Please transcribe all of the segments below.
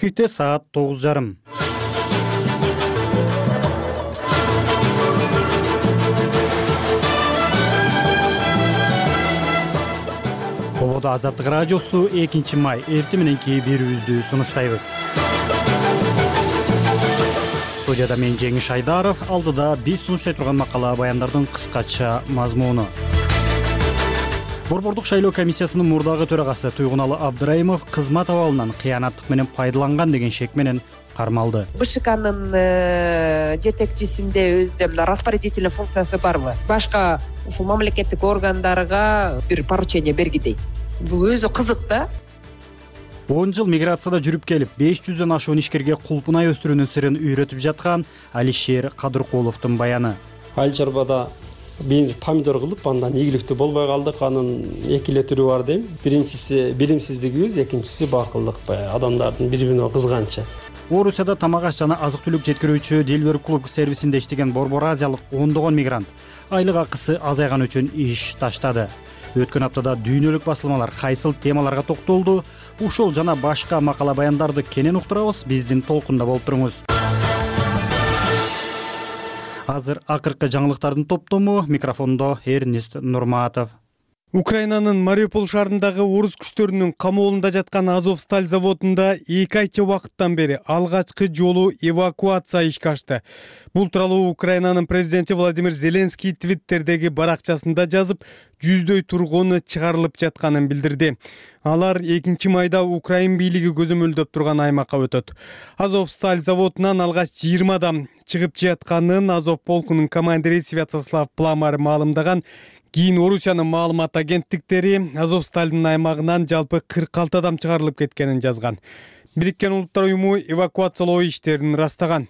Түштө саат 9:30. Ободо Азаттык радиосу 2 май эртең мененки берүүбүздү сунуштайбыз. Студияда мен Жеңиш Айдаров, алдыда биз сунуштай турган макала баяндардын кыскача мазмуну. Борбордук шайлоо комиссиясынын мурдагы төрагасы Туйгуналы Абдыраимов кызмат абалынан кыянаттык менен пайдаланган деген шек менен кармалды. БШКнын жетекчисинде өзүнүн распорядительный функциясы барбы? Башка ушул мамлекеттик органдарга бир поручение бергидей. Бул өзү кызык да. 10 жыл миграцияда жүрүп келип, 500дөн ашуун ишкерге кулпунай өстүрүүнүн сырын үйрөтүп жаткан Алишер Кадыркуловдун баяны. Айыл чарбада бир помидор кылып, андан ийгиликтүү болбой калдык. Анын эки эле түрү бар дейм. Биринчиси билимсиздигибиз, экинчиси бакылдык. Адамдардын бири-бирине кызганчы. Орусияда тамак аш жана азык-түлүк жеткирүүчү Delivery Club сервисинде иштеген борбор азиялык ондогон мигрант айлык акысы азайган үчүн иш таштады. Өткөн аптада дүйнөлүк басылмалар кайсыл темаларга токтолду? Ушул жана башка макала баяндарды кенен уктурабыз. Биздин толкунда болуп туруңуз. Азыр акыркы жаңылыктардын топтому, микрофондо Эрнест Нурматов. Украинанын Мариуполь шаарындагы орус күчтөрүнүн камоолунда жаткан Азовсталь заводунда 2 айча убакыттан бери алгачкы жолу эвакуация ишке ашты. Бул тууралуу Украинанын президенти Владимир Зеленский Твиттердеги баракчасында жазып, жүздөй тургуну чыгарылып жатканын билдирди. Алар 2 майда Украин бийлиги көзөмөлдөп турган аймакка өтөт. Азовсталь заводунан алгач 20 адам чыгып жатканын Азов полкунун командири Святослав Пламар маалымдаган. Кийин Орусиянын маалымат агенттиктери Азовстальдын аймагынан жалпы 46 адам чыгарылып кеткенин жазган. Бириккен Улуттар уюму эвакуациялоо иштерин растаган.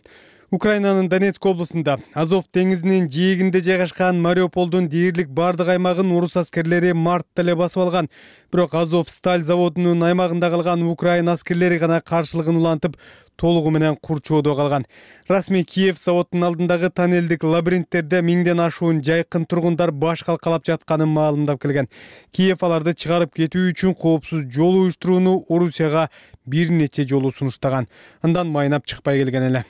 Украинанын Донецк облусунда Азов деңизинин жээгинде жайгашкан Мариуполдун дээрлик бардык аймагын орус аскерлери мартта эле басып алган. Бирок Азовсталь заводунун аймагында калган Украин аскерлери гана каршылыгын улантып, толугу менен курчоодо калган. Расмий Киев заводдун алдындагы тоннелдик лабиринттерде миңден ашуун жайкын тургундар баш калкалап жатканын маалымдап келген. Киев аларды чыгарып кетүү үчүн коопсуз жол уюштурууну Орусияга бир нече жолу сунуштаган. Андан майнап чыкпай келген эле.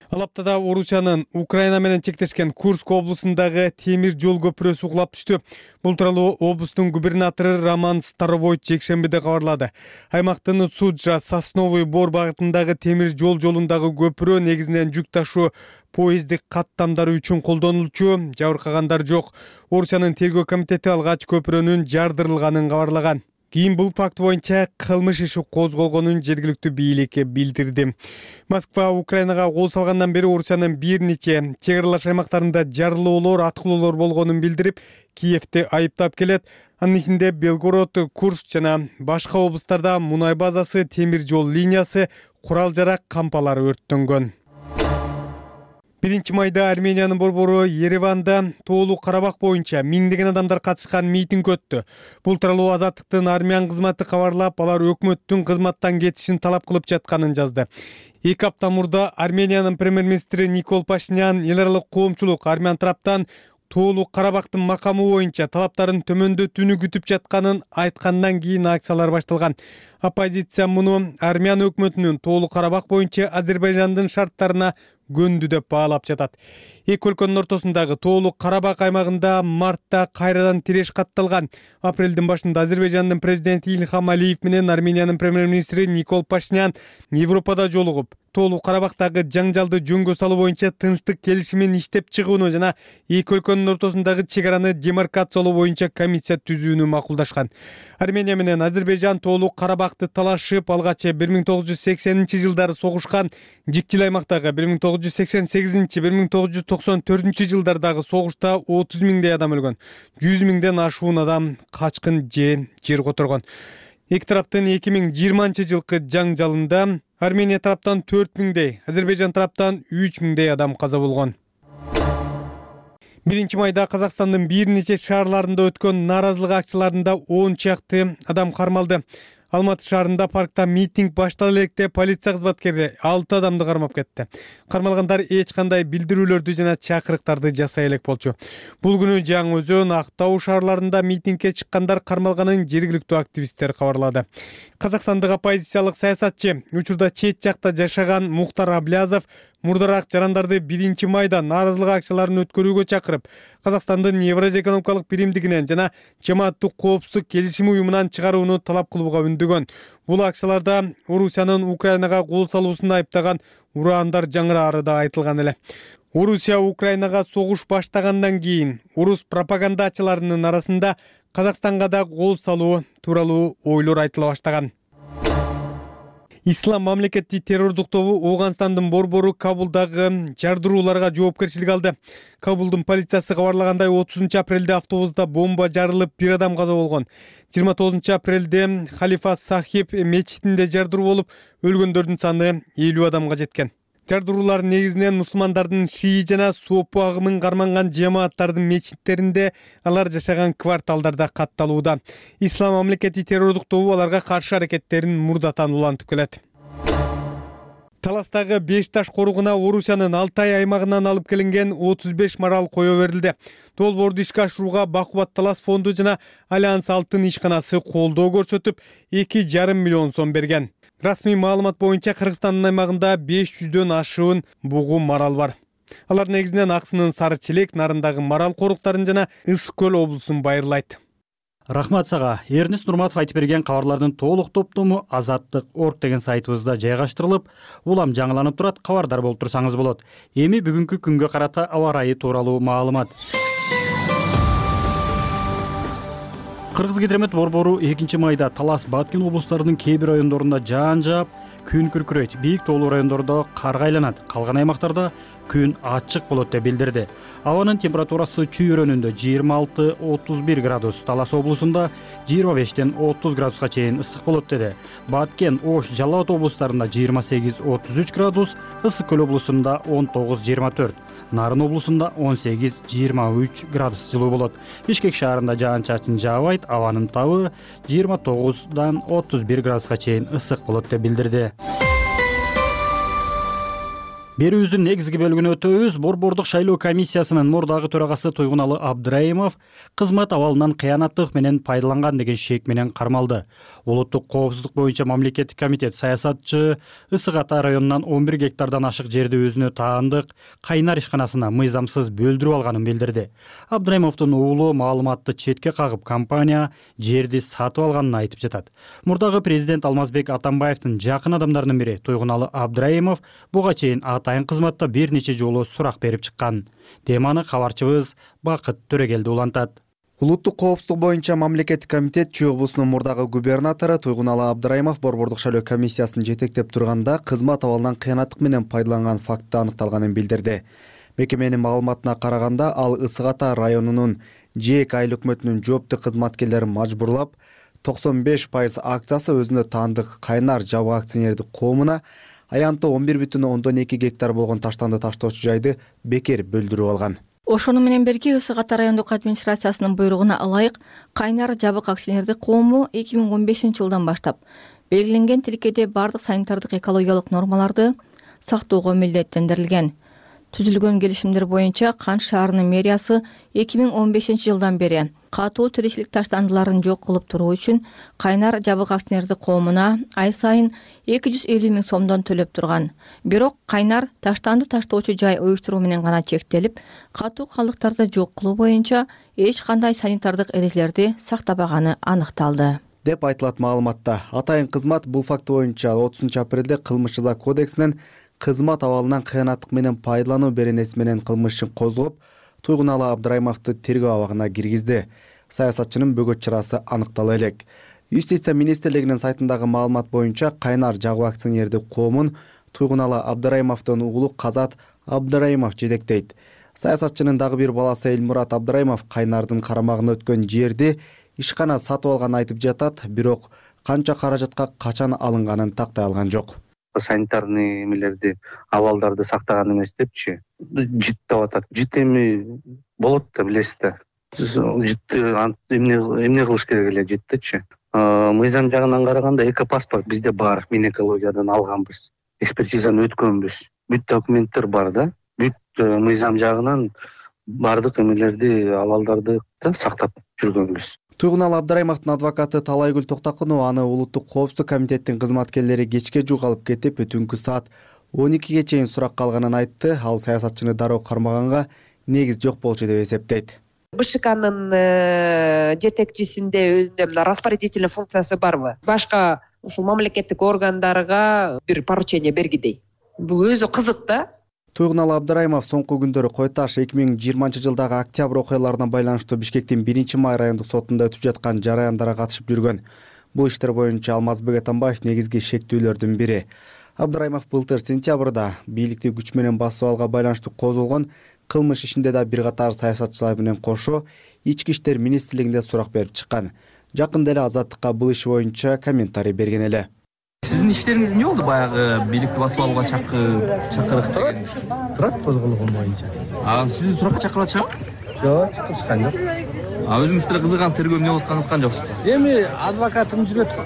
Ал аптада Орусиянын Украина менен чектешкен Курск облусундагы темир жол көпүрөсү кулап түштү. Бул тууралуу облустун губернатору Роман Старовойт жекшембиде кабарлады. Аймактын Суджа Сосновый Бор багытындагы темир жол жолундагы көпүрө негизинен жүк ташуу поезддик каттамдары үчүн колдонулчу, жабыркагандар жок. Орусиянын тергөө комитети алгач көпүрөнүн жардырылганын кабарлаган. Кийин бул факт боюнча кылмыш иши козголгонун жергиликтүү бийликке билдирди. Москва Украинага кол салгандан бери Орусиянын бир нече чек аралаш аймактарында жарылуулар, аткылоолор болгонун билдирип, Киевти айыптап келет. Анын ичинде Белгород, Курск жана башка облустарда мунай базасы, темир жол линиясы, курал-жарак кампалары өрттөнгөн. 1 майда Армениянын борбору Ереванда Тоолуу Карабак боюнча миңдеген адамдар катышкан митинг өттү. Бул тууралуу Азаттыктын армян кызматы кабарлап, алар өкмөттүн кызматтан кетишин талап кылып жатканын жазды. 2 апта мурда Армениянын премьер-министри Никол Пашинян эл аралык коомчулук армян тараптан Тоолуу Карабактын макамы боюнча талаптарын төмөндөтүүнү күтүп жатканын айткандан кийин акциялар башталган. Оппозиция муну армян өкмөтүнүн Тоолуу Карабак боюнча Азербайжандын шарттарына көндү деп баалап жатат. Эки өлкөнүн ортосундагы Тоолуу Карабак аймагында мартта кайрадан тиреш катталган. Апрелдин башында Азербайжандын президенти Ильхам Алиев менен Армениянын премьер-министри Никол Пашинян Европада жолугуп, Тоолуу Карабактагы жаңжалды жөнгө салуу боюнча тынчтык келишимин иштеп чыгууну жана эки өлкөнүн ортосундагы чек араны демаркациялоо боюнча комиссия түзүүнү макулдашкан. Армения менен Азербайжан Тоолуу Карабакты талашып, алгач 1980-жылдары согушкан, жикчил аймактагы 1988-1994 жылдардагы согушта 30 миңдей адам өлгөн, 100 миңден ашуун адам качкын жер которгон. Эки тараптын 2020 жылкы жаңжалында Армения тараптан 4 миңдей, Азербайжан тараптан 3 миңдей адам каза болгон. 1 майда Казакстандын бир нече шаарларында өткөн нааразылык акцияларында 10 чакты адам кармалды. Алматы шаарында паркта митинг баштала электе полиция кызматкери 6 адамды кармап кетти. Кармалгандар эч кандай билдирүүлөрдү жана чакырыктарды жасай элек болчу. Бул күнү Жаңы Өзөн, Актау шаарларында митингге чыккандар кармалганын жергиликтүү активисттер кабарлады. Казакстандык оппозициялык саясатчы, учурда чет жакта жашаган Мухтар Аблязов мурдараак жарандарды 1 майда нааразылык акцияларын өткөрүүгө чакырып, Казакстандын Евразия экономикалык биримдигинен жана жамааттык коопсуздук келишими уюмунан чыгарууну талап кылууга үндөгөн. Бул акцияларда Орусиянын Украинага кол салуусун айыптаган ураандар жаңыраары да айтылган эле. Орусия Украинага согуш баштагандан кийин орус пропагандачыларынын арасында Казакстанга да кол салуу тууралуу ойлор айтыла баштаган. Ислам мамлекети террордук тобу Ооганстандын борбору Кабулдагы жардырууларга жоопкерчилик алды. Кабулдун полициясы кабарлагандай 30 апрелде автобуста бомба жарылып, 1 адам каза болгон. 29 апрелде Халифа Сахиб мечитинде жардыруу болуп, өлгөндөрдүн саны 50 адамга жеткен. Жардыруулар негизинен мусулмандардын шии жана сопу агымын карманган жамааттардын мечиттеринде, алар жашаган кварталдарда катталууда. Ислам мамлекети террордук тобу аларга каршы аракеттерин мурдатан улантып келет. Таластагы Беш таш коругуна Орусиянын Алтай аймагынан алып келинген 35 марал кое берилди. Долбоорду ишке ашырууга Бакубат Талас фонду жана Альянс Алтын ишканасы колдоо көрсөтүп, 2,5 миллион сом берген. Расмий маалымат боюнча Кыргызстандын аймагында 500дөн ашуун бугу марал бар. Алар негизинен Аксынын Сары Челек, Нарындагы марал коруктарын жана Ысык көл облусун байырлайт. Рахмат сага. Эрнест Нурматов айтып берген кабарлардын толук топтому Азаттык.org деген сайтыбызда жайгаштырылып, улам жаңыланып турат, кабардар болуп турсаңыз болот. Эми бүгүнкү күнгө карата аба ырайы тууралуу маалымат. Кыргызгидромет борбору 2 майда Талас, Баткен облустарынын кээ бир райондорунда жаан жаап, күн күркүрөйт. Бийик тоолуу райондордо карга айланат. Калган аймактарда күн ачык болот деп билдирди. Абанын температурасы чүйрөнүндө 26-31 градус, Талас облусунда 25-тен 30 градуска чейин ысык болот деди. Баткен, Ош, Жалал Абад облустарында 28-33 градус, Ысык көл облусунда 19-24. Нарын облусунда 18-23 градус жылуу болот. Бишкек шаарында жаан-чачын жаабайт, абанын табы 29-дан 31 градуска чейин ысык болот деп билдирди. Берүүбүздүн негизги бөлүгүнө өтөбүз. Борбордук шайлоо комиссиясынын мурдагы төрагасы Тойгуналы Абдраимов кызмат абалынан кыянаттык менен пайдаланган деген шек менен кармалды. Улуттук коопсуздук боюнча мамлекеттик комитет саясатчы Ысык Ата районунан 11 гектардан ашык жерди өзүнө таандык Кайнар ишканасына мыйзамсыз бөлдүрүп алганын билдирди. Абдраймовдун уулу маалыматты четке кагып, компания жерди сатып алганын айтып жатат. Мурдагы президент Алмазбек Атамбаевдин жакын адамдарынын бири Тойгуналы Абдраймов буга чейин атайын кызматта бир нече жолу сурак берип чыккан. Теманы кабарчыбыз Бакыт Төрөгелди улантат. Улуттук коопсуздук боюнча мамлекеттик комитет Чүй облусунун мурдагы губернатору Тойгуналы Абдраймов борбордук шайлоо комиссиясын жетектеп турганда кызмат абалынан кыянаттык менен пайдаланган факты аныкталганын билдирди. Мекеменин маалыматына караганда, ал Ысык Ата районунун ЖЭК айыл өкмөтүнүн жооптуу кызматкерлерин мажбурлап, 95% акциясы өзүнө таандык Кайнар жабык акционердик коомуна аянты 11,2 гектар болгон таштанды таштоочу жайды бекер бөлдүрүп алган. Ошону менен бирге Ысык Ата райондук администрациясынын буйругуна ылайык Кайнар жабык акционердик коому 2015-жылдан баштап белгиленген тилкеде бардык санитардык экологиялык нормаларды сактоого милдеттендирилген. Түзүлгөн келишимдер боюнча Кант шаарынын мэриясы 2015-жылдан бери катуу тиричилик таштандыларын жок кылып туруу үчүн Кайнар жабык акционердик коомуна ай сайын 250 миң сомдон төлөп турган. Бирок Кайнар таштанды таштоочу жай уюштуруу менен гана чектелип, катуу калдыктарды жок кылуу боюнча эч кандай санитардык эрежелерди сактабаганы аныкталды деп айтылат маалыматта. Атайын кызмат бул факт боюнча 30 апрелде кылмыш жаза кодексинен кызмат абалынан кыянаттык менен пайдалануу беренеси менен кылмышын козгоп, Тойгуналы Абдраймовду тергөө абагына киргизди. Саясатчынын бөгөт чарасы аныктала элек. Юстиция министрлигинин сайтындагы маалымат боюнча Кайнар жабык акционердик коомун Тойгуналы Абдраймовдун уулу Казат Абдраймов жетектейт. Саясатчынын дагы бир баласы Элмурат Абдраймов Кайнардын карамагына өткөн жерди ишкана сатып алганын айтып жатат, бирок канча каражатка качан алынганын тактай алган жок. Санитарный эмелерди, абалдарды сактаган эмес депчи. Жит деп атат. Жит эми болот да билесиз да. Жит эмне кылыш керек эле життечи. мыйзам жагынан караганда экопаспорт бизде бар, Минэкологиядан алганбыз, экспертизаны өткөнбүз, бүт документтер бар да, бүт мыйзам жагынан баардык эмелерди, абалдарды сактап жүргөнбүз. Туйгуналы Абдрайымовдун адвокаты Талайгүл Токтокунова аны улуттук коопсуздук комитеттин кызматкерлери кечке жугалып кетип, түнкү саат 12ге чейин суракка алганын айтты. Ал саясатчыны дароо кармаганга негиз жок болчу деп эсептейт. БШКнын жетекчисинде өзүнүн распорядительный функциясы барбы? Башка ушул мамлекеттик органдарга бир поручение бергидей. Бул өзү кызык да. Туйгуналы Абдрайымов соңку күндөрү Кой Таш 2020 жылдагы октябрь окуяларына байланыштуу Бишкектин 1-май райондук сотунда өтүп жаткан жараяндарга катышып жүргөн. Бул иштер боюнча Алмазбек Атамбаев негизги шектүүлөрдүн бири. Абдрайымов былтыр сентябрда бийликти күч менен басып алууга байланыштуу козголгон кылмыш ишинде да бир катар саясатчылар менен кошо Ички иштер министрлигинде сурак берип чыккан. Жакында эле Азаттыкка бул иш боюнча комментарий берген эле. Сиздин иштериңиз эмне болду? Баягы бийликти басып алууга чакырык деген турат козголгон боюнча. Сизди суракка чакырып атышабы? Жок, чакырышкан жок. Өзүңүз деле кызыган тергөө эмне болуп атканыңызга жоксузбу? Эми адвокатым жүрөт го.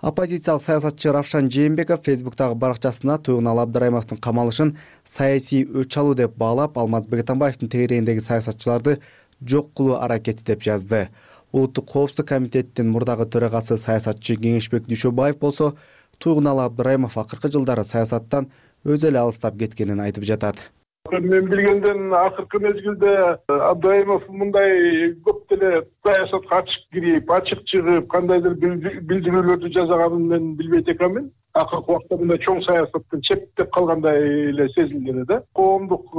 Оппозициялык саясатчы Равшан Жээнбеков Фейсбуктагы баракчасына Туйгуналы Абдрайымовдун камалышын саясий өч алуу деп баалап, Алмазбек Атамбаевдин тегерегиндеги саясатчыларды жок кылуу аракети деп жазды. Улуттук коопсуздук комитеттин мурдагы төрагасы саясатчы Кеңешбек Дүйшөбаев болсо Туйгуналы Абдрайымов акыркы жылдары саясаттан өзү эле алыстап кеткенин айтып жатат. Мен билгенден акыркы мезгилде Абдрайымов мындай көп деле саясатка ачык кирип, ачык чыгып, кандайдыр билдирүүлөрдү жасаганын мен билбейт экенмин. Акыркы убакта мындай чоң саясаттан четтеп калгандай эле сезилген да. Коомдук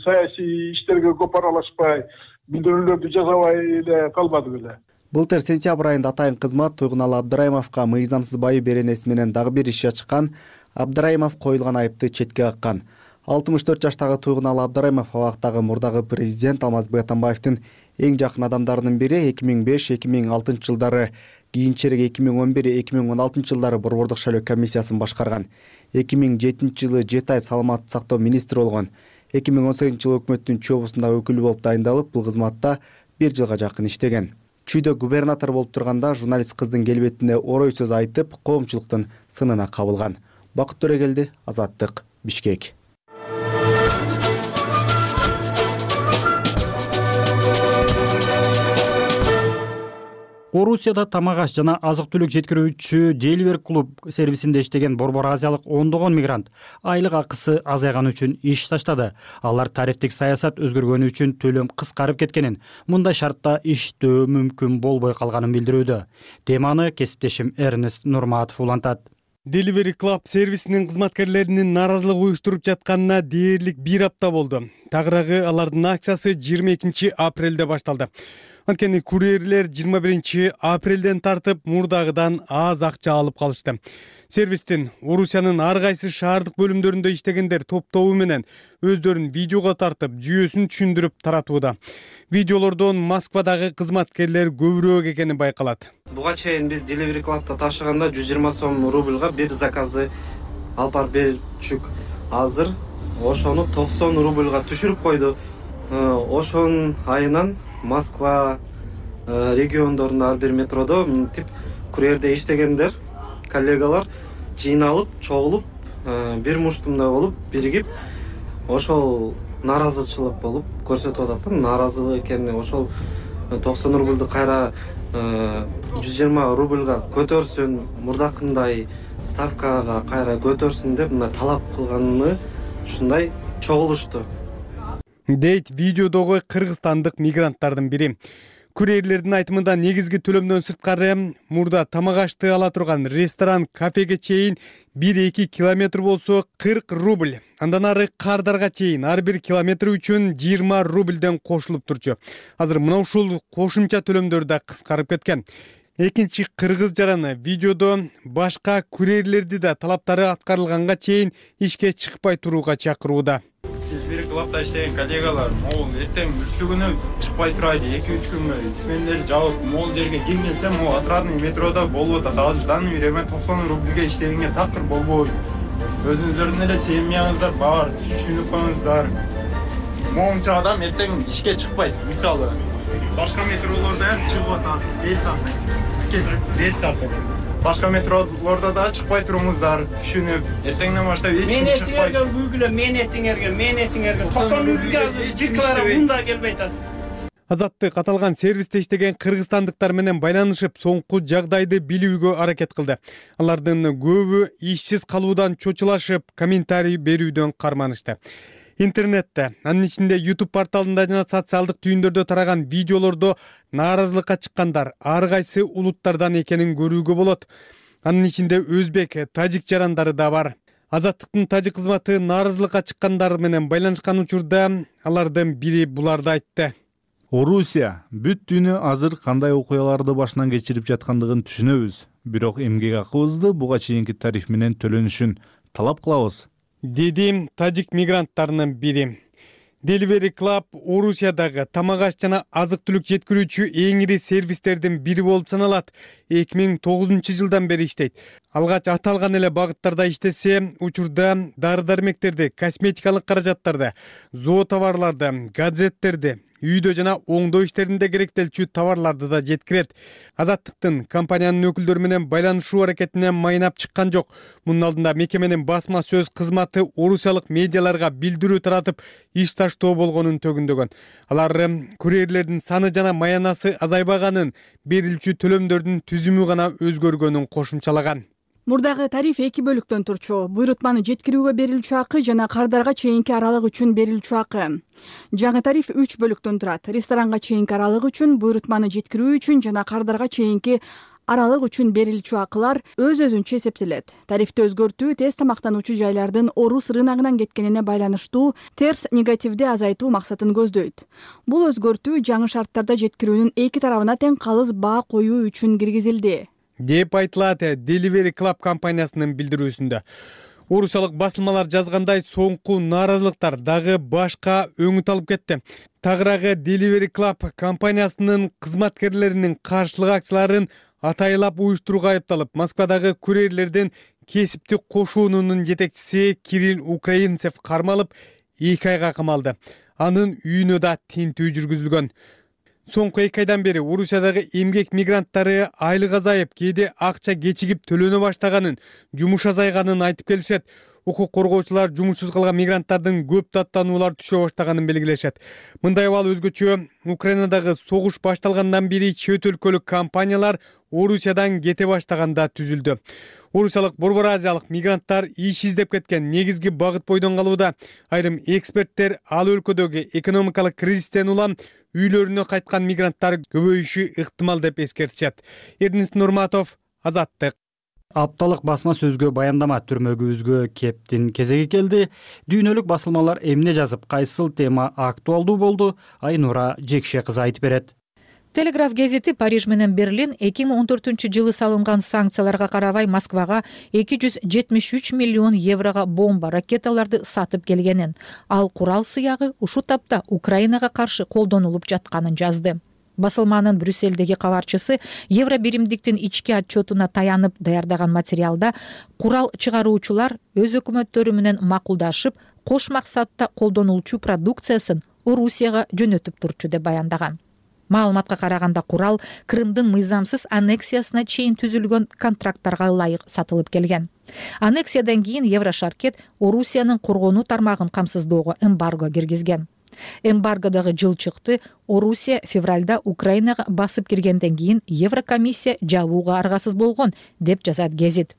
саясий иштерге көп аралашпай, билдирүүлөрдү жасабай эле калбады беле. Былтыр сентябрь айында атайын кызмат Туйгуналы Абдрайымовго мыйзамсыз байы беренеси менен дагы бир иш ачкан. Абдрайымов коюлган айыпты четке каккан. 64 жаштагы Туйгуналы Абдрайымов абактагы мурдагы президент Алмазбек Атамбаевдин эң жакын адамдарынын бири. 2005-2006 жылдары, кийинчерээк 2011-2016 жылдары Борбордук шайлоо комиссиясын башкарган. 2007 жылы 7 ай саламаттык сактоо министри болгон. 2018 жылы өкмөттүн чобусундагы өкүлү болуп дайындалып, бул кызматта 1 жылга жакын иштеген. Чүйдө губернатор болуп турганда журналист кыздын келбетине орой сөз айтып, коомчулуктун сынына кабылган. Бакыт Төрөгелди, Азаттык, Бишкек. Орусияда тамак аш жана азык-түлүк жеткирүүчү Delivery Club сервисинде иштеген Борбор Азиялык ондогон мигрант айлык акысы азайганы үчүн иш таштады. Алар тарифтик саясат өзгөргөнү үчүн төлөм кыскарып кеткенин, мындай шартта иштөө мүмкүн болбой калганын билдирүүдө. Теманы кесиптешим Эрнест Нурматов улантат. Delivery Club сервисинин кызматкерлеринин нааразылык уюштуруп жатканына дээрлик 1 апта болду. Тагыраагы алардын акциясы 22 апрелде башталды. Анткени курьерлер 21 апрелден тартып мурдагыдан аз акча алып калышты. Сервистин Орусиянын ар кайсы шаардык бөлүмдөрүндө иштегендер топтобу менен өздөрүн видеого тартып, жүйөсүн түшүндүрүп таратууда. Видеолордон Москвадагы кызматкерлер көбүрөөк экени байкалат. Буга чейин биз Delivery Club'та ташыганда 120 сом рубльга бир заказды алып барып берчүк. Азыр ошону 90 рубльга түшүрүп койду. Ошонун айынан Москва региондорунда ар бир метродо минтип курьерде иштегендер, коллегалар жыйналып, чогулуп, бир муштумда болуп, биригип, ошол нааразычылык болуп көрсөтүп атат да, нааразы экени. Ошол 90 рубльду кайра 120 рубльга көтөрсүн, мурдакындай ставкага кайра көтөрсүн деп мына талап кылганына ушундай чогулушту. Дейт видеодогу кыргызстандык мигранттардын бири. Курьерлердин айтымында негизги төлөмдөн сырткары мурда тамак ашты ала турган ресторан, кафеге чейин 1-2 километр болсо 40 рубль. Андан ары кардарга чейин ар бир километр үчүн 20 рубльден кошулуп турчу. Азыр мына ушул кошумча төлөмдөр да кыскарып кеткен. Экинчи кыргыз жараны видеодо башка курьерлерди да талаптары аткарылганга чейин ишке чыкпай турууга чакырууда. Delivery Club'da иштеген коллегалар, могул эртең бүрсү күнү чыкпай турайлы, 2-3 күнгө смендер жабып, могул жерге келгенсем, могул отрадный метрода болуп атат. Азыр данный время 90 рубльге иштегенге такыр болбойт. Өзүңүздөрдүн эле семьяңыздар бар, түшүнүп коюңуздар. Могунча адам эртең ишке чыкпайт. Мисалы, башка метролордо ham чыгып атат, эл таппайт. рельс тартып. Башка метролордо да чыкпай туруңуздар, түшүнүп, эртеңден баштап эч ким чыкпай. Мен этиңерге 90 үргө жыклар мында келбей атат. Азаттык аталган сервисте иштеген кыргызстандыктар менен байланышып, соңку жагдайды билүүгө аракет кылды. Алардын көбү ишсиз калуудан чочулашып, комментарий берүүдөн карманышты. Интернетте, анын ичинде YouTube порталында жана социалдык түйүндөрдө тараган видеолордо нааразылыкка чыккандар ар кайсы улуттардан экенин көрүүгө болот. Анын ичинде өзбек, тажик жарандары да бар. Азаттыктын тажик кызматы нааразылыкка чыккандар менен байланышкан учурда алардын бири буларды айтты. Орусия бүт дүйнө азыр кандай окуяларды башынан кечирип жаткандыгын түшүнөбүз. Бирок эмгек акыбызды буга чейинки тариф менен төлөнүшүн талап кылабыз, деди тажик мигранттарынын бири. Delivery Club Орусиядагы тамак аш жана азык-түлүк жеткирүүчү эң ири сервистердин бири болуп саналат. 2009-жылдан бери иштейт. Алгач аталган эле багыттарда иштесе, учурда дары-дармектерди, косметикалык каражаттарды, зоотоварларды, гаджеттерди, үйдө жана оңдоо иштеринде керектелчү товарларды да жеткирет. Азаттыктын компаниянын өкүлдөрү менен байланышуу аракетине майнап чыккан жок. Мунун алдында мекеменин басма сөз кызматы орусиялык медиаларга билдирүү таратып, иш таштоо болгонун төгүндөгөн. Алар курьерлердин саны жана маянасы азайбаганын, берилчү төлөмдөрдүн түзүмү гана өзгөргөнүн кошумчалаган. Мурдагы тариф 2 бөлүктөн турчу. Буйрутманы жеткирүүгө берилчү акы жана кардарга чейинки аралык үчүн берилчү акы. Жаңы тариф 3 бөлүктөн турат. Ресторанга чейинки аралык үчүн, буйрутманы жеткирүү үчүн жана кардарга чейинки аралык үчүн берилчү акылар өз-өзүнчө эсептелет. Тарифти өзгөртүү тез тамактануучу жайлардын орус рыногунан кеткенине байланыштуу терс негативди азайтуу максатын көздөйт. Бул өзгөртүү жаңы шарттарда жеткирүүнүн эки тарабына тең калыс баа коюу үчүн киргизилди, деп айтылат Delivery Club компаниясынын билдирүүсүндө. Орусиялык басылмалар жазгандай, соңку нааразылыктар дагы башка өңүт алып кетти. Тагыраагы Delivery Club компаниясынын кызматкерлеринин каршылык акцияларын атайлап уюштурууга айыпталып, Москвадагы курьерлердин кесиптик кошуунунун жетекчиси Кирилл Украинцев кармалып, 2 айга камалды. Анын үйүнө да тинтүү жүргүзүлгөн. Соңку 2 айдан бери Орусиядагы эмгек мигранттары айлык азайып, кээде акча кечигип төлөнө баштаганын, жумуш азайганын айтып келишет. Укук коргоочулар жумушсуз калган мигранттардын көп даттануулар түшө баштаганын белгилешет. Мындай абал өзгөчө Украинадагы согуш башталгандан бери чет өлкөлүк компаниялар Орусиядан кете баштаганда түзүлдү. Орусиялык борбор азиялык мигранттар иш издеп кеткен негизги багыт бойдон калууда. Айрым эксперттер ал өлкөдөгү экономикалык кризистен улам үйлөрүнө кайткан мигранттар көбөйүшү ыктымал деп эскертишет. Эрдинис Нурматов, Азаттык. Апталык басма сөзгө баяндама түрмөгүбүзгө кептин кезеги келди. Дүйнөлүк басылмалар эмне жазып, кайсыл тема актуалдуу болду? Айнура Жекше кызы айтып берет. Телеграф гезити Париж менен Берлин 2014-жылы салынган санкцияларга карабай Москвага 273 миллион еврого бомба, ракеталарды сатып келгенин, ал курал сыягы ушул тапта Украинага каршы колдонулуп жатканын жазды. Басылманын Брюсселдеги кабарчысы Евро биримдиктин ички отчетуна таянып даярдаган материалда курал чыгаруучулар өз өкмөттөрү менен макулдашып, кош максатта колдонулчу продукциясын Орусияга жөнөтүп турчу деп баяндаган. Маалыматка караганда курал Крымдын мыйзамсыз аннексиясына чейин түзүлгөн контракттарга ылайык сатылып келген. Аннексиядан кийин Еврошаркет Орусиянын коргонуу тармагын камсыздоого эмбарго киргизген. Эмбаргодагы жылчыкты Орусия февралда Украинага басып киргенден кийин Еврокомиссия жабууга аргасыз болгон, деп жазат гезит.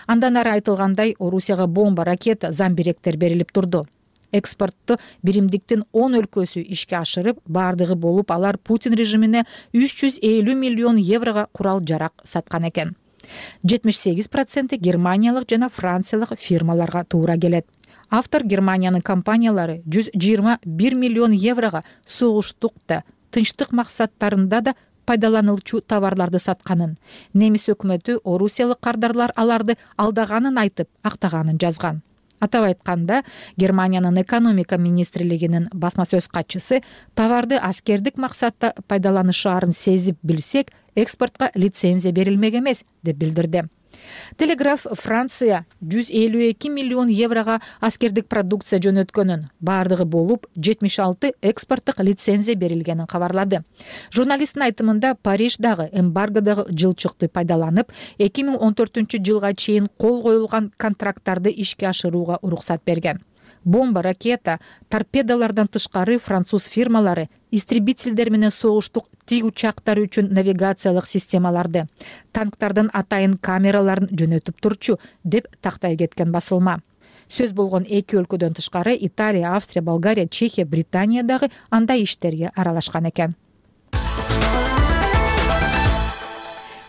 Андан ары айтылгандай, Орусияга бомба, ракета, замбиректер берилип турду. Экспортту биримдиктин 10 өлкөсү ишке ашырып, бардыгы болуп алар Путин режимине 350 миллион еврого курал жарак саткан экен. 78% германиялык жана франциялык фирмаларга туура келет. Автор Германиянын компаниялары 121 миллион еврого согуштукта, тынчтык максаттарында да пайдаланылчу товарларды сатканын, немис өкмөтү орусиялык кардарлар аларды алдаганын айтып, актаганын жазган. Атап айтканда, Германиянын экономика министрлигинин басма сөз катчысы товарды аскердик максатта пайдаланышаарын сезип билсек, экспортко лицензия берилмек эмес деп билдирди. Телеграф Франция 152 миллион еврого аскердик продукция жөнөткөнүн, баардыгы болуп 76 экспорттук лицензия берилгенин кабарлады. Журналисттин айтымында Париж дагы эмбаргодогу жылчыкты пайдаланып 2014 жылга чейин кол коюлган контракттарды ишке ашырууга уруксат берген. Бомба, ракета, торпедалардан тышкары француз фирмалары истребительдер менен согуштук тиг учактар үчүн навигациялык системаларды, танктардын атайын камераларын жөнөтүп турчу деп тактай кеткен басылма. Сөз болгон эки өлкөдөн тышкары Италия, Австрия, Болгария, Чехия, Британия дагы андай иштерге аралашкан экен.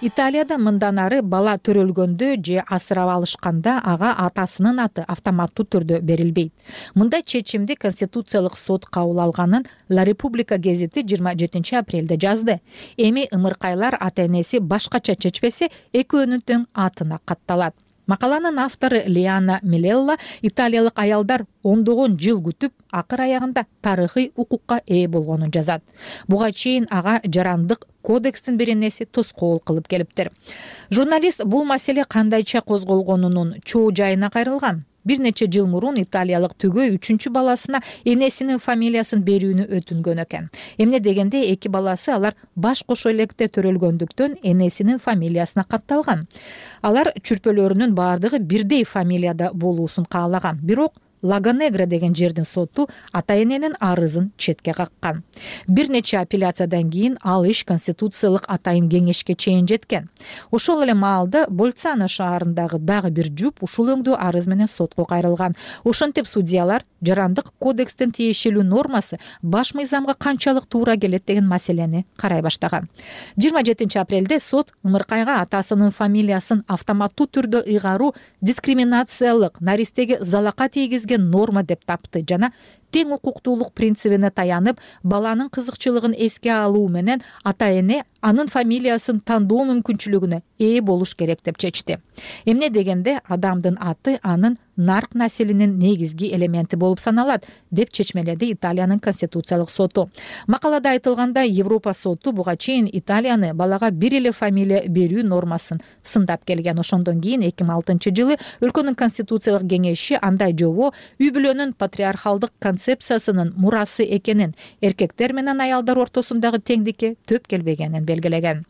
Италияда мындан ары бала төрөлгөндө же асырап алышканда ага атасынын аты автоматтуу түрдө берилбейт. Мындай чечимди Конституциялык сот кабыл алганын La Repubblica гезити 27 апрелде жазды. Эми ымыркайлар ата-энеси башкача чечпесе, экөөнүн тең атына катталат. Макаланын автору Лиана Милелла италиялык аялдар ондогон жыл күтүп, акыр аягында тарыхый укукка ээ болгонун жазат. Буга чейин ага жарандык кодекстин беренеси тоскоол кылып келиптир. Журналист бул маселе кандайча козголгонунун чоо жайына кайрылган. Бир нече жыл мурун италиялык түгөй 3-чү баласына энесинин фамилиясын берүүнү өтүнгөн экен. Эмне дегенде эки баласы алар баш кошо электе төрөлгөндүктөн энесинин фамилиясына катталган. Алар чүрпөлөрүнүн баардыгы бирдей фамилияда болуусун каалаган. Бирок Лагонегра деген жердин соту ата-эненин арызын четке каккан. Бир нече апелляциядан кийин ал иш Конституциялык атайын кеңешке чейин жеткен. Ошол эле маалда Больцано шаарындагы дагы бир жуп ушул өңдүү арыз менен сотко кайрылган. Ошентип судьялар жарандык кодекстин тиешелүү нормасы баш мыйзамга канчалык туура келет деген маселени карай баштаган. 27 апрелде сот ымыркайга атасынын фамилиясын автоматтуу түрдө ыйгаруу дискриминациялык, наристеге залака тийгизген норма деп тапты жана тең укуктуулук принцибине таянып, баланын кызыкчылыгын эске алуу менен ата-эне анын фамилиясын тандоо мүмкүнчүлүгүнө ээ болуш керек деп чечти. Эмне дегенде адамдын аты анын нарк населинин негизги элементи болуп саналат, деп чечмеледи Италиянын Конституциялык соту. Макалада айтылгандай, Европа соту буга чейин Италияны балага бир эле фамилия берүү нормасын сындап келген. Ошондон кийин 2006 жылы өлкөнүн Конституциялык кеңеши андай жобо үй бүлөнүн патриархалдык концепциясынын мурасы экенин, эркектер менен аялдар ортосундагы теңдикке төп келбегенин белгилеген.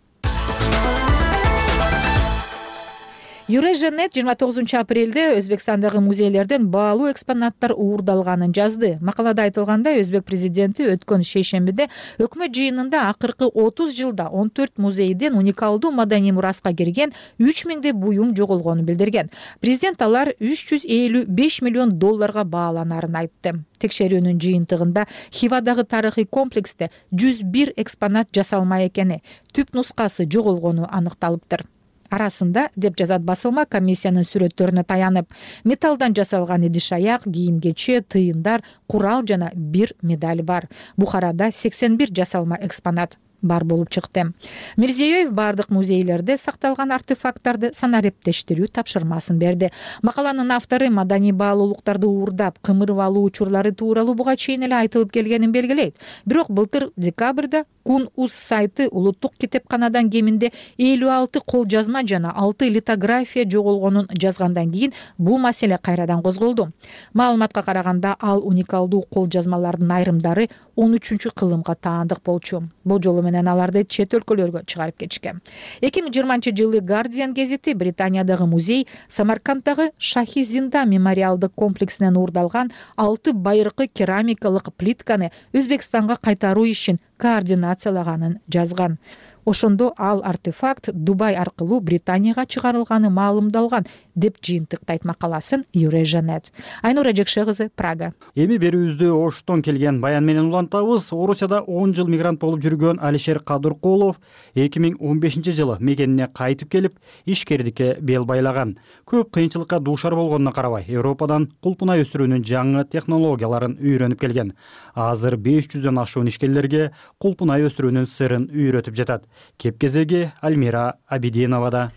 Юреженет 29 апрелде Өзбекстандагы музейлерден баалуу экспонаттар уурдалганын жазды. Макалада айтылгандай, Өзбек президенти өткөн шейшембиде өкмөт жыйынында акыркы 30 жылда 14 музейден уникалдуу маданий мураска кирген 3000 буюм жоголгонун билдирген. Президент алар 355 миллион долларга бааланарын айтты. Текшерүүнүн жыйынтыгында Хивадагы тарыхый комплексте 101 экспонат жасалмай экени, түп нускасы жоголгону аныкталыптыр. Арасында, деп жазат басылма, комиссиянын сүрөттөрүнө таянып, металлдан жасалган идиш-аяк, кийим-кече, тыйындар, курал жана бир медаль бар. Бухарада 81 жасалма экспонат бар болуп чыкты. Мирзиёев бардык музейлерде сакталган артефакттарды санариптештирүү тапшырмасын берди. Макаланын автору маданий баалуулуктарды уурдап, кымырып алуу учурлары тууралуу буга чейин эле айтылып келгенин белгилейт. Бирок былтыр декабрда Кун-Уз сайты улуттук китепканадан кеминде 56 кол жазма жана 6 литография жоголгонун жазгандан кийин бул маселе кайрадан козголду. Маалыматка караганда, ал уникалдуу кол жазмалардын айрымдары 13-кылымга таандык болчу. Бул жолу менен аларды чет өлкөлөргө чыгарып кетишкен. 2020 жылы Guardian гезити Британиядагы музей Самарканддагы Шахи Зинда мемориалдык комплексинен уурдалган 6 байыркы керамикалык плитканы Өзбекстанга кайтаруу ишин координациялаганын жазган. Ошондо ал артефакт Дубай аркылуу Британияга чыгарылганы маалымдалган, деп жыйынтыктайт макаласын Юреженет. Айнура Жекше кызы, Прага. Эми берүүбүздү Оштон келген баян менен улантабыз. Орусияда 10 жыл мигрант болуп жүргөн Алишер Кадыркулов 2015 жылы мекенине кайтып келип, ишкердикке бел байлаган. Көп кыйынчылыкка дуушар болгонуна карабай, Европадан кулпунай өстүрүүнүн жаңы технологияларын үйрөнүп келген. Азыр 500дөн ашуун ишкерлерге кулпунай өстүрүүнүн сырын үйрөтүп жатат. Кеп кезеги Альмира Абидиновада.